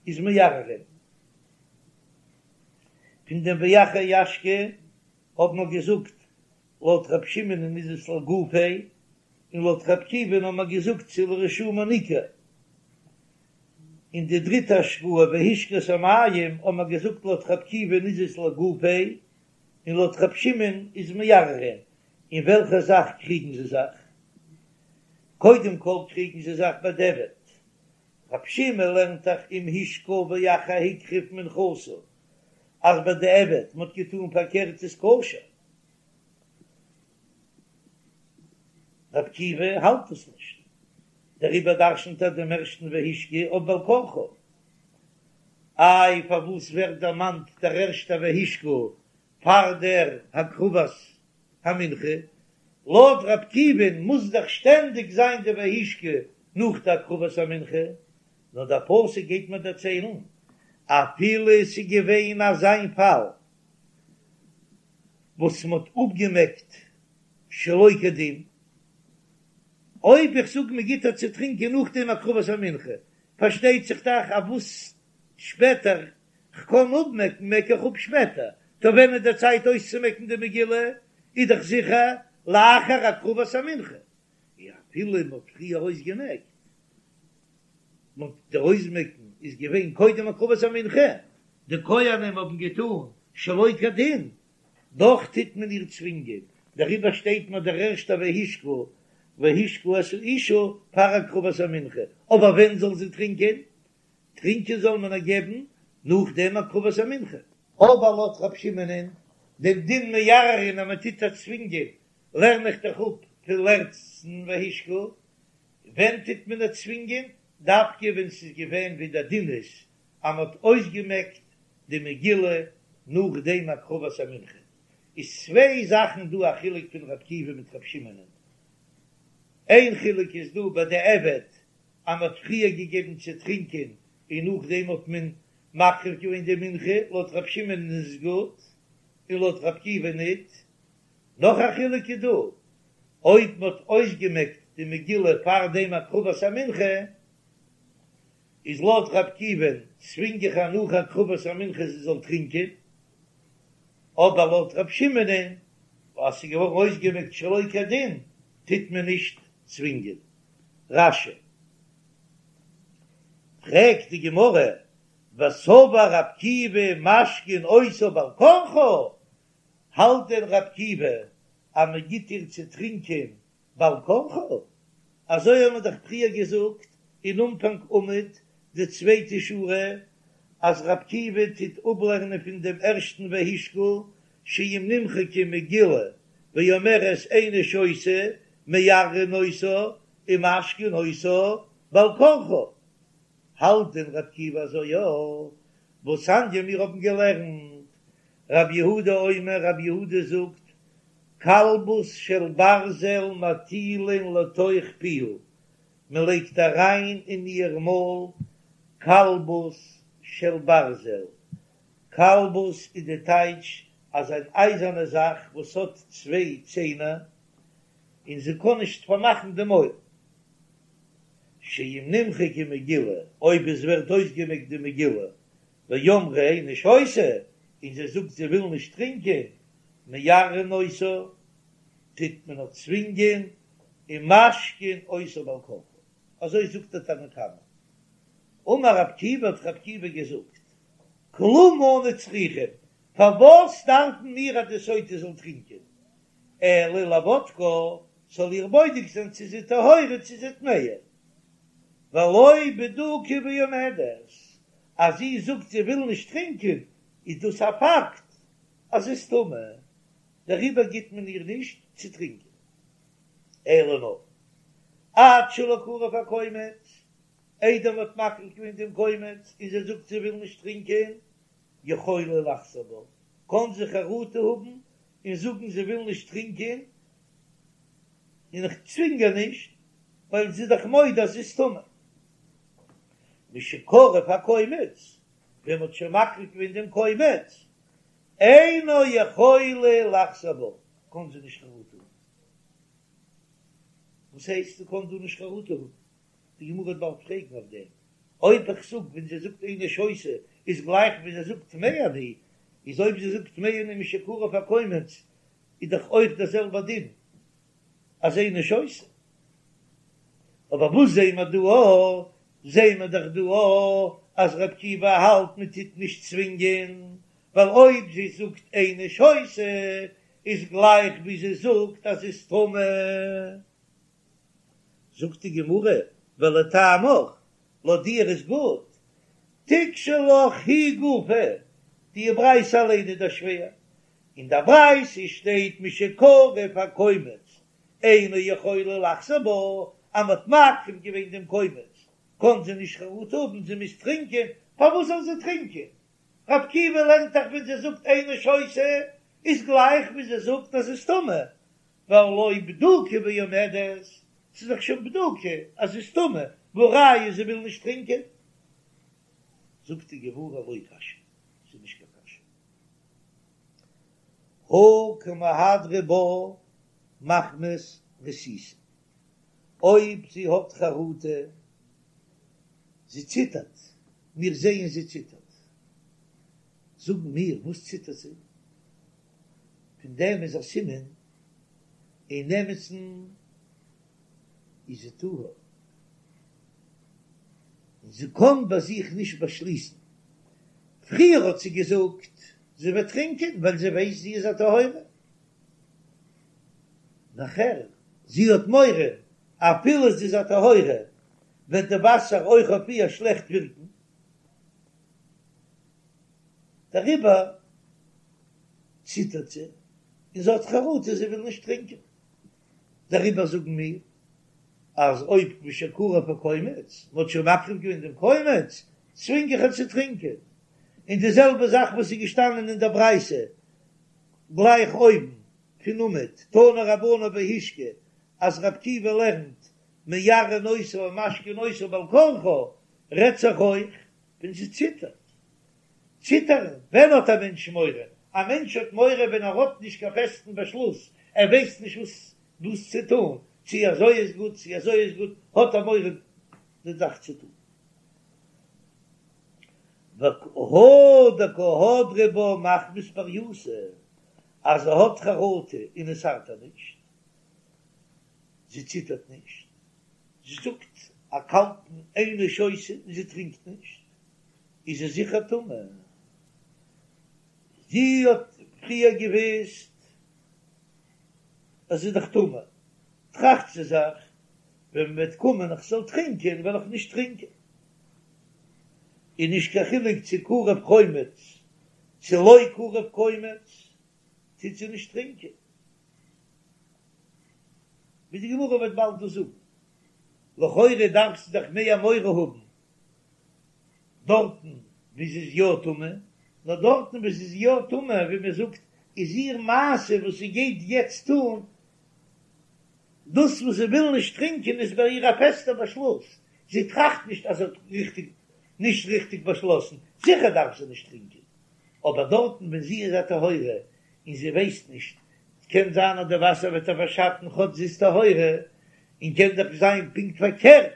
[SPEAKER 1] איז מערערין. פון דעם ואחר ישקה האט מען געזאגט לויט ר' שמעונ'ען איז עס לגופיה, און לויט ר' עקיבא'ן האט מען געזאגט ס'איז לרישומו ניכר. און די דריטע השקאה והשקה את המים האט מען געזאגט לויט ר' עקיבא'ן איז עס לגופיה, און לויט ר' שמעון איז מערערין. אין וועלכע זאך קריגן זיי זיך? קודם כל קריגן זיי זיך בדיעבד. ר' שמעון לערנט דאך אם השקה ואחר הקריב מנחתה אז בדיעבד מ'האט געטאן פארקערט איז כשר. ר' עקיבא האלט עס נישט, דעריבער דרשנ'ט ער דעם ערשטן והשקה אויף בעל כרחה. איי פארוואס ווערט דערמאנט דער ערשטער והשקה פאר דער הקרבת המנחה? לויט ר' עקיבא'ן מוז דאך שטענדיג זיין די והשקה נאך די הקרבת המנחה, נאר דער פסוק גייט מיר דערציילן אפילו עס איז געווען אזא פאל וואס מען האט אפגעמעקט שלא כדין, אויב איך זאג מען גיט איר צו טרינקען נאכדעם הקרבת המנחה, פארשטייט זיך דאך אז וואס שפעטער כ'קען אפמעקן מעק איך אפ שפעטער, טא ווען איז די צייט אויסצומעקן די מגילה, איז דאך זיכער לאחר הקרבת המנחה, און אפילו מען האט פריער אויסגעמעקט, מען האט דער אויסמעקן איז געווען קודם הקרבת המנחה, די כהנים האבן געטאן שלא כדין, דאך טוט מען איר צווינגען, דעריבער שטייט מיר דער ערשטער והשקה והשקה את האשה פאר הקרבת המנחה, אבער ווען זאל זי טרינקען? טרינקען זאל מען איר געבן נאך דעם הקרבת המנחה. אבער לויט רב שמעונ'ען, דעם דין מערערין אז מען טוט איר צווינגען, לערן איך דאך אפ פון לעצטן והשקה, ווען טוט מען איר צווינגען? דווקא ווען ס'איז געווען ווי דער דין איז אז מען האט אויסגעמעקט די מגילה נאך דעם הקרבת המנחה, איז צוויי זאכן דא א חילוק פון ר' עקיבא מיט ר' שמעונ'ען, איין חילוק איז דא בדיעבד אז מ'האט פריער געגעבן צו טרינקען און נאכדעם האט מען מקריב געווען די מנחה, לויט ר' שמעונ'ען איז עס גוט און לויט ר' עקיבא ניט. נאך א חילוק איז דא, אויב מ'האט אויסגעמעקט די מגילה פאר דעם הקרבת המנחה, איז לויט ר' עקיבא'ן צווינג איך איר נאך הקרבת המנחה זי זאל טרינקען, אבער לויט ר' שמעונ'ען אז ס'איז געווארן אויסגעמעקט שלא כדין טוט מען נישט צווינגען. רש"י. פרעגט די גמרא, וסבר ר' עקיבא משקין אותה בעל כרחה, האלט דען ר' עקיבא אז מען גיט איר צו טרינקען בעל כרחה? אזוי האבן מיר דאך פריער געזאגט אין אנפאנג עמוד די צווייטע שורה אז ר' עקיבא טוט אפלערנען פון דעם ערשטן והשקה שאם נמחקה מגילה ואומרת איני שותה מערערין אותה ומשקין אותה בעל כרחה. האלט דען ר' עקיבא אזוי? יא, והתניא מיר האבן געלערנט רב יהודה אומר רב יהודה זאגט כלבוס של ברזל מטילין לתוך פיה, מען לייגט אריין אין איר מויל כלבוס של ברזל, כלבוס איז די טייטש אז אן אייזערנע זאך וואס האט צוויי ציינער און זי קען נישט פארמאכן די מויל, שאם נמחקה מגילה, אויב עס ווערט אויסגעמעקט די מגילה, ואמרה איני שותה, און זי זאגט זי וויל נישט טרינקען, מערערין אותה, טוט מען איר צווינגען, ומשקין אותה בעל כרחה, אזוי זאגט דער תנא קמא. אמר רב עקיבא האט רב עקיבא געזאגט, כלום אנו צריכים, פארוואס דארפן מיר אז די סוטה זאל טרינקען, אלא לבודקה, זאל איר בודק זיין צו זי טהורה צו זי טמאה, והלא בדוקה ועומדת, אז זי זאגט זי וויל נישט טרינקען איז דאס א פאקט אז זי איז טמא, דעריבער גיט מען איר נישט צו טרינקען, אלא נאר עד שלא קרב הקומץ, איידער מען האט מקריב געווען דעם קומץ און זי זאגט זי וויל נישט טרינקען, יכולה לחזור בה, קען זי חרטה האבן און זאגן זי וויל נישט טרינקען, און איך צווינג איר נישט, ווייל זי איז דאך מודה אז זי איז טמא. משקרב הקומץ, ווען מ'האט שוין מקריב געווען דעם קומץ, אינה יכולה לחזור בה, קען זי נישט חרטה האבן. וואס הייסט זי קען דא נישט חרטה האבן? די גמרא וועט באלד פרעגן אויף דעם. אויב איך זאג ווען זי זאגט איני שותה איז גלייך ווי זי זאגט טמאה אני, איז אויב זי זאגט טמאה אני משקרב הקומץ איז דאך אויך דער זעלבער דין אז איני שותה. אבער וואס זעהן מיר דא א? זעהן מיר דאך דא א אז ר' עקיבא האלט מען טוט נישט צווינגען, ווייל אויב זי זאגט איני שותה איז גלייך ווי זי זאגט אז זי איז טמא. זאגט די גמרא, ולטעמיך, לויט דיר איז גוט, תיקשי לך היא גופה, די ברייתא אליין איז דאך שווער, אין דער ברייתא שטייט משקרב הקומץ אינה יכולה לחזור בה, אז מ'האט מקריב געווען דעם קומץ קען זי נישט חרטה האבן, זי מוז טרינקען, פארוואס זאל זי טרינקען? ר' עקיבא לערנט דאך ווען זי זאגט איני שותה איז גלייך ווי זי זאגט אז זי איז טמא, והלא בדוקה ועומדת, ס'איז דאך שוין בדוקה אז זי איז טמא, והא ראיה זי וויל נישט טרינקען. זאגט די גמרא לא קשיא, ס'איז נישט קיין קשיא. הא קא מהדרא בה מחמת רתיתא, אויב זי האט חרטה, זי ציטערט, מיר זעען זי ציטערט, זאגן מיר, וואס ציטערט זי? פון דעם איז א סימן אין אמת'ן איז זי טהור, און זי קען ביי זיך נישט באשליסן, פריער האט זי געזאגט זי וועט טרינקען ווייל זי ווייסט זי איז א טהורה, נאכער זי האט מורא אפילו זי איז א טהורה וועט די וואסער אויך אויף איר שלעכט ווירקן, דעריבער ציטערט זי און זי האט חרטה זי וויל נישט טרינקען, דעריבער זאגן מיר אז אויב משקרב הקומץ, מען האט שוין מקריב געווען דעם קומץ, צווינג איך איר צו טרינקען, און די זעלבע זאך וואס איז געשטאנען אין דער ברייתא, גלייך אויבן פון עמוד, תנו רבנן בהשקה, אז רבי עקיבא לערנט מערערין אותה ומשקין אותה בעל כרחה, רעדט זיך אויך ווען זי ציטערט. ציטערן, ווען האט א מענטש מורא? א מענטש האט מורא ווען ער האט נישט קיין פעסטן באשלוס, ער ווייסט נישט וואס וואס צו טון, צו אזוי איז גוט צו אזוי איז גוט, האט ער מורא די זאך צו טון. והא דקא הדרה בה מחמת ברייתא, אז זי האט חרטה און עס ארט איר נישט, זי ציטערט נישט, זי זאגט א קאלטן איני שותה און זי טרינקט נישט, איז זי זיכער טמא. זי האט פריער געוויסט אז זי איז דאך טמא, טראכט זי זיך, ווען מען וועט קומען איך זאל טרינקען וועל איך נישט טרינקען. איז נישט קיין חילוק צו קרב קומץ צו לא קרב קומץ, טוט זי נישט טרינקען. ווי די גמרא וועט באלד דא זאגן. לכאורה דארף זי דאך מער מורא האבן דארטן ווי זי איז יא טמא, נאר דארטן ווי זי איז יא טמא, ווי מען זאגט, איז איר מעשה וואס זי גייט יעצט טון, דאס וואס זי וויל נישט טרינקען איז ביי איר א פעסטער באשלוס, זי טראכט נישט אז זי האט ריכטיג נישט ריכטיג באשלאסן, זיכער דארף זי נישט טרינקען, אבער דארטן ווען זי איז א טהורה און זי ווייסט נישט, קען זיין אז די וואסער וועט איר פארשאטן כאטש זי איז טהורה, און קען דאך זיין פונקט פארקערט,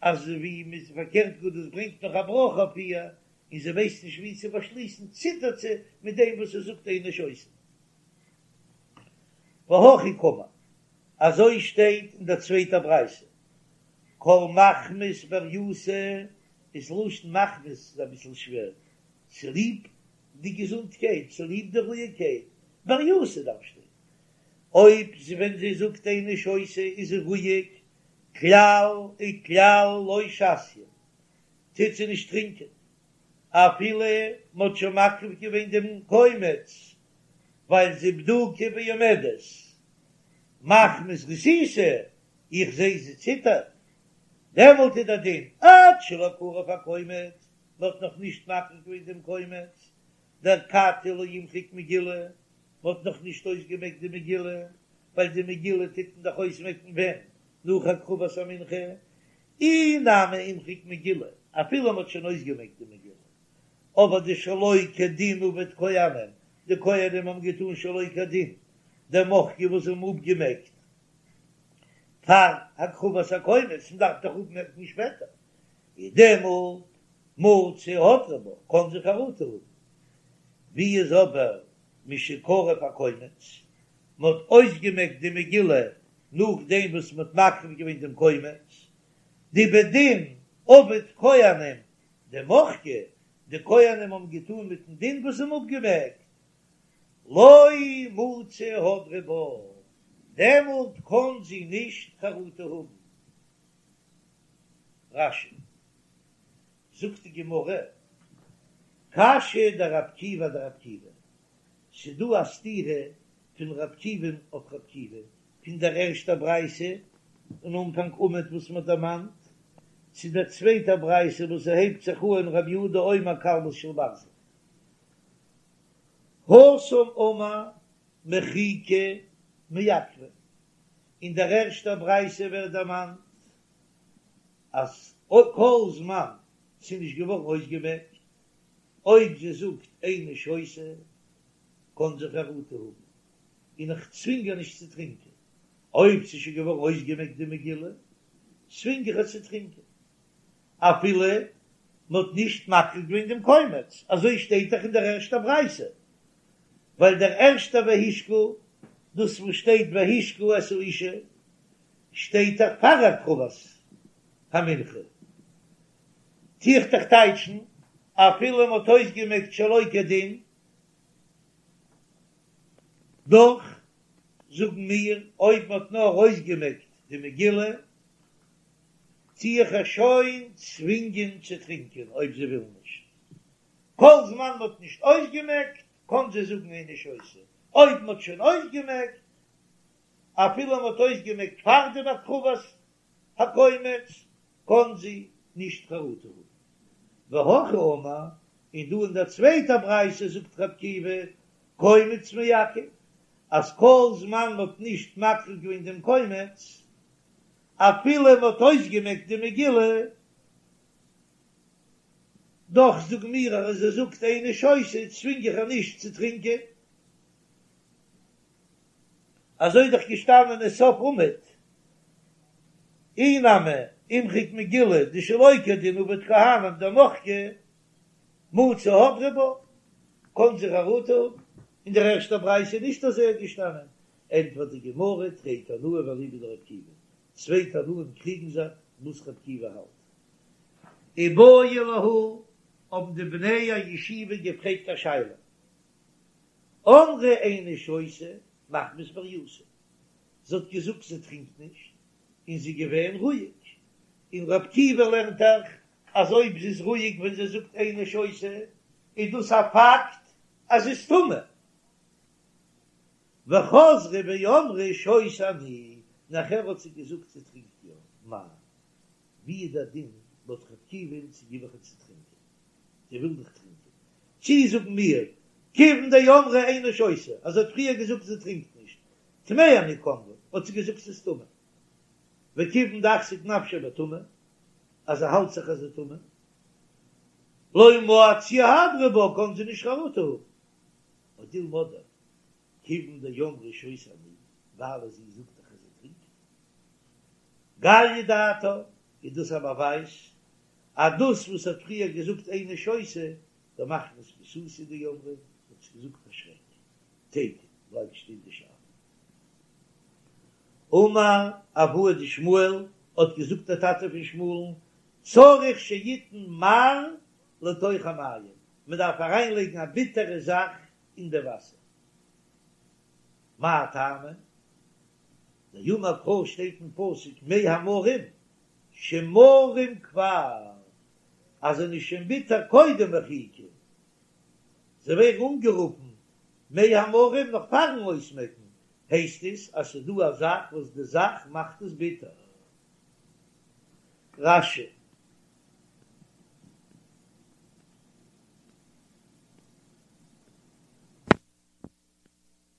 [SPEAKER 1] אז ווי מ'איז פארקערט גאר דאס ברענגט נאך א ברכה אויף איר, און זי ווייסט נישט ווי צו באשליסן, ציטערט זי מיט דעם וואס זי זאגט איני שותה. והכי קאמר, אזוי שטייט אין דער צווייטער ברייתא, כל מחמת ברייתא איז לשון מחמת איז אביסל שווער, צוליב די געזונטקייט, צוליב די רואיגקייט, ברייתא דארף שטיין, אויב זי ווען זי זאגט איני שותה איז זי רואיג, כלל וכלל לא שתיא, טוט זי נישט טרינקען, אפילו מ'האט שוין מקריב געווען דעם קומץ, ווייל זי בדוקה ועומדת, מחמת רתיתא, איך זע זי ציטערט, דעמאלט איז דער דין עד שלא קרב הקומץ, מ'האט נאך נישט מקריב געווען דעם קומץ, דאכתי לא אימחק מגילה, מ'האט נאך נישט אויסגעמעקט די מגילה, ווייל די מגילה טוט מען דאך אויסמעקן ווען? נאך הקרבת המנחה, אי נמי אימחק מגילה, אפילו מ'האט שוין אויסגעמעקט די מגילה, אבער דשלא כדין עבוד כהנים, די כהנים האבן געטון שלא כדין, דמחקי וואס זיי האבן אפגעמעקט פאר הקרבת הקומץ, מ'דארף דאך אפמעקן שפעטער, איז דעמאלט מצי הדרה בה, קען זי חרטה האבן. ווי איז אבער משקרב הקומץ, מען האט אויסגעמעקט די מגילה נאכדעם וואס מען האט מקריב געווען דעם קומץ, דבדין עבוד כהנים דמחקי, די כהנים האבן געטון מיטן דין וואס זיי האבן אפגעמעקט, לא מצי הדרה בה, דעמאלט קען זי נישט חרטה האבן. רש"י. זאגט די גמרא, קשיא דרבי עקיבא אדרבי עקיבא, ס'דא א סתירה פון רבי עקיבא'ן אויף רבי עקיבא, פון דער ערשטער ברייתא אין אנפאנג עמוד וואס מ'האט דערמאנט, צו דער צווייטער ברייתא וואס ס'הייבט זיך אהן רבי יהודה אומר קלמוס של ברזל. התם אמר מחיקה מעכבא, אין דער ערשטער ברייתא ווערט דערמאנט אז כל זמן ס'איז נישט געווארן אויסגעמעקט, אויב זי זאגט איני שותה, קען זי חרטה האבן, און איך צווינג איר נישט צו טרינקען. אויב ס'איז שוין געווארן אויסגעמעקט די מגילה, צווינג איך איר צו טרינקען, אפילו מ'האט נישט מקריב געווען דעם קומץ, אזוי שטייט דאך אין דער ערשטער ברייתא, ווייל דער ערשטער והשקה, דאס וואס שטייט והשקה את האשה, שטייט דאך פאר הקרבת המנחה, טו איך דאך טייטשן אפילו מ'האט אויסגעמעקט שלא כדין, דאך זאגן מיר אויב מ'האט נאר אויסגעמעקט די מגילה, טו איך איר שוין צווינגען צו טרינקען אויב זי וויל נישט, כל זמן מ'האט נישט אויסגעמעקט קען זי זאגן איני שותה, אויב מ'האט שוין אויסגעמעקט אפילו מען האט אויסגעמעקט פאר דעם הקרבת הקומץ, קען זי נישט חרטה האבן. והכא אמר, און דא אין דער צווייטער ברייתא זאגט רבי עקיבא, קומץ מעכב, אז כל זמן מ'האט נישט מקריב געווען דעם קומץ, אפילו מ'האט אויסגעמעקט די מגילה, דאך זאגן מיר אז זי זאגט איני שותה צווינג איך איר נישט צו טרינקען. אזוי איז דאך געשטאנען אין סוף עמוד, אי נמי אימחק מגילה דשלא כדין עביד כהנים דמחקה מצי הדרי בה, קאן זי חרטה האבן, אין דער ערשטער ברייתא איז נישט אזוי געשטאנען, ענטפערט די גמרא, תרי תנאי ואליבא דרבי עקיבא, צוויי תנאים קריגן זיך וואס רבי עקיבא האלט. איבעיא להו, האבן די בני הישיבה געפרעגט א שאלה, אמרה איני שותה מחמת בריותה, זי האט געזאגט זי טרינקט נישט, און זי איז געווען רואיג, און רבי עקיבא לערנט דאך אז אויב זי איז רואיג ווען זי זאגט איני שותה איז דאס א פאקט אז זי איז טמא. וחזרה ואמרה שותה אני, נאכער האט זי געזאגט זי טרינקט יא, מהו, ווי איז דער דין לויט רבי עקיבא'ן צו גיב איך איר צו טרינקען? זי וויל דאך טרינקען. צי זאגן מיר, כיוון דאמרה איני שותה, אז זי האט פריער געזאגט זי טרינקט נישט, טמאה אני קאמרה, האט זי געזאגט ס'איז טמא. וכיוון דאחזיק נפשה בטומאה, אז זי האלט זיך אז זי טמא, לא מציא הדרא בה, קען זי נישט חרטה האבן. או דילמא אדער, כיוון דאמרה שותה אני, ווייל זי זאגט דאך אז זי טרינקט. גליא דעתה, איז דאס א באווייז אז דאס וואס האט פריער געזאגט איני שותה, דמחמת ביעתותא דאמרה, האט זי געזאגט פאר שרעק. תיקו, בלייבט שטיין די שאלה. אמר אבוה דשמואל, האט געזאגט דער טאטע פון שמואל'ן, צריך שיתן מר לתוך המים, מען דארף אריינלייגן א ביטערע זאך אין די וואסער. מאי טעמא? דאמר קרא שטייט אין פסוק מי המרים שמרים כבר, אז זיי זענען שוין ביטער קודם מחיקה, זיי ווערן אנגערופן מי המרים נאך פארן אויסמעקן, הייסט עס אז ס'איז דא א זאך וואס די זאך מאכט עס ביטער. רש"י.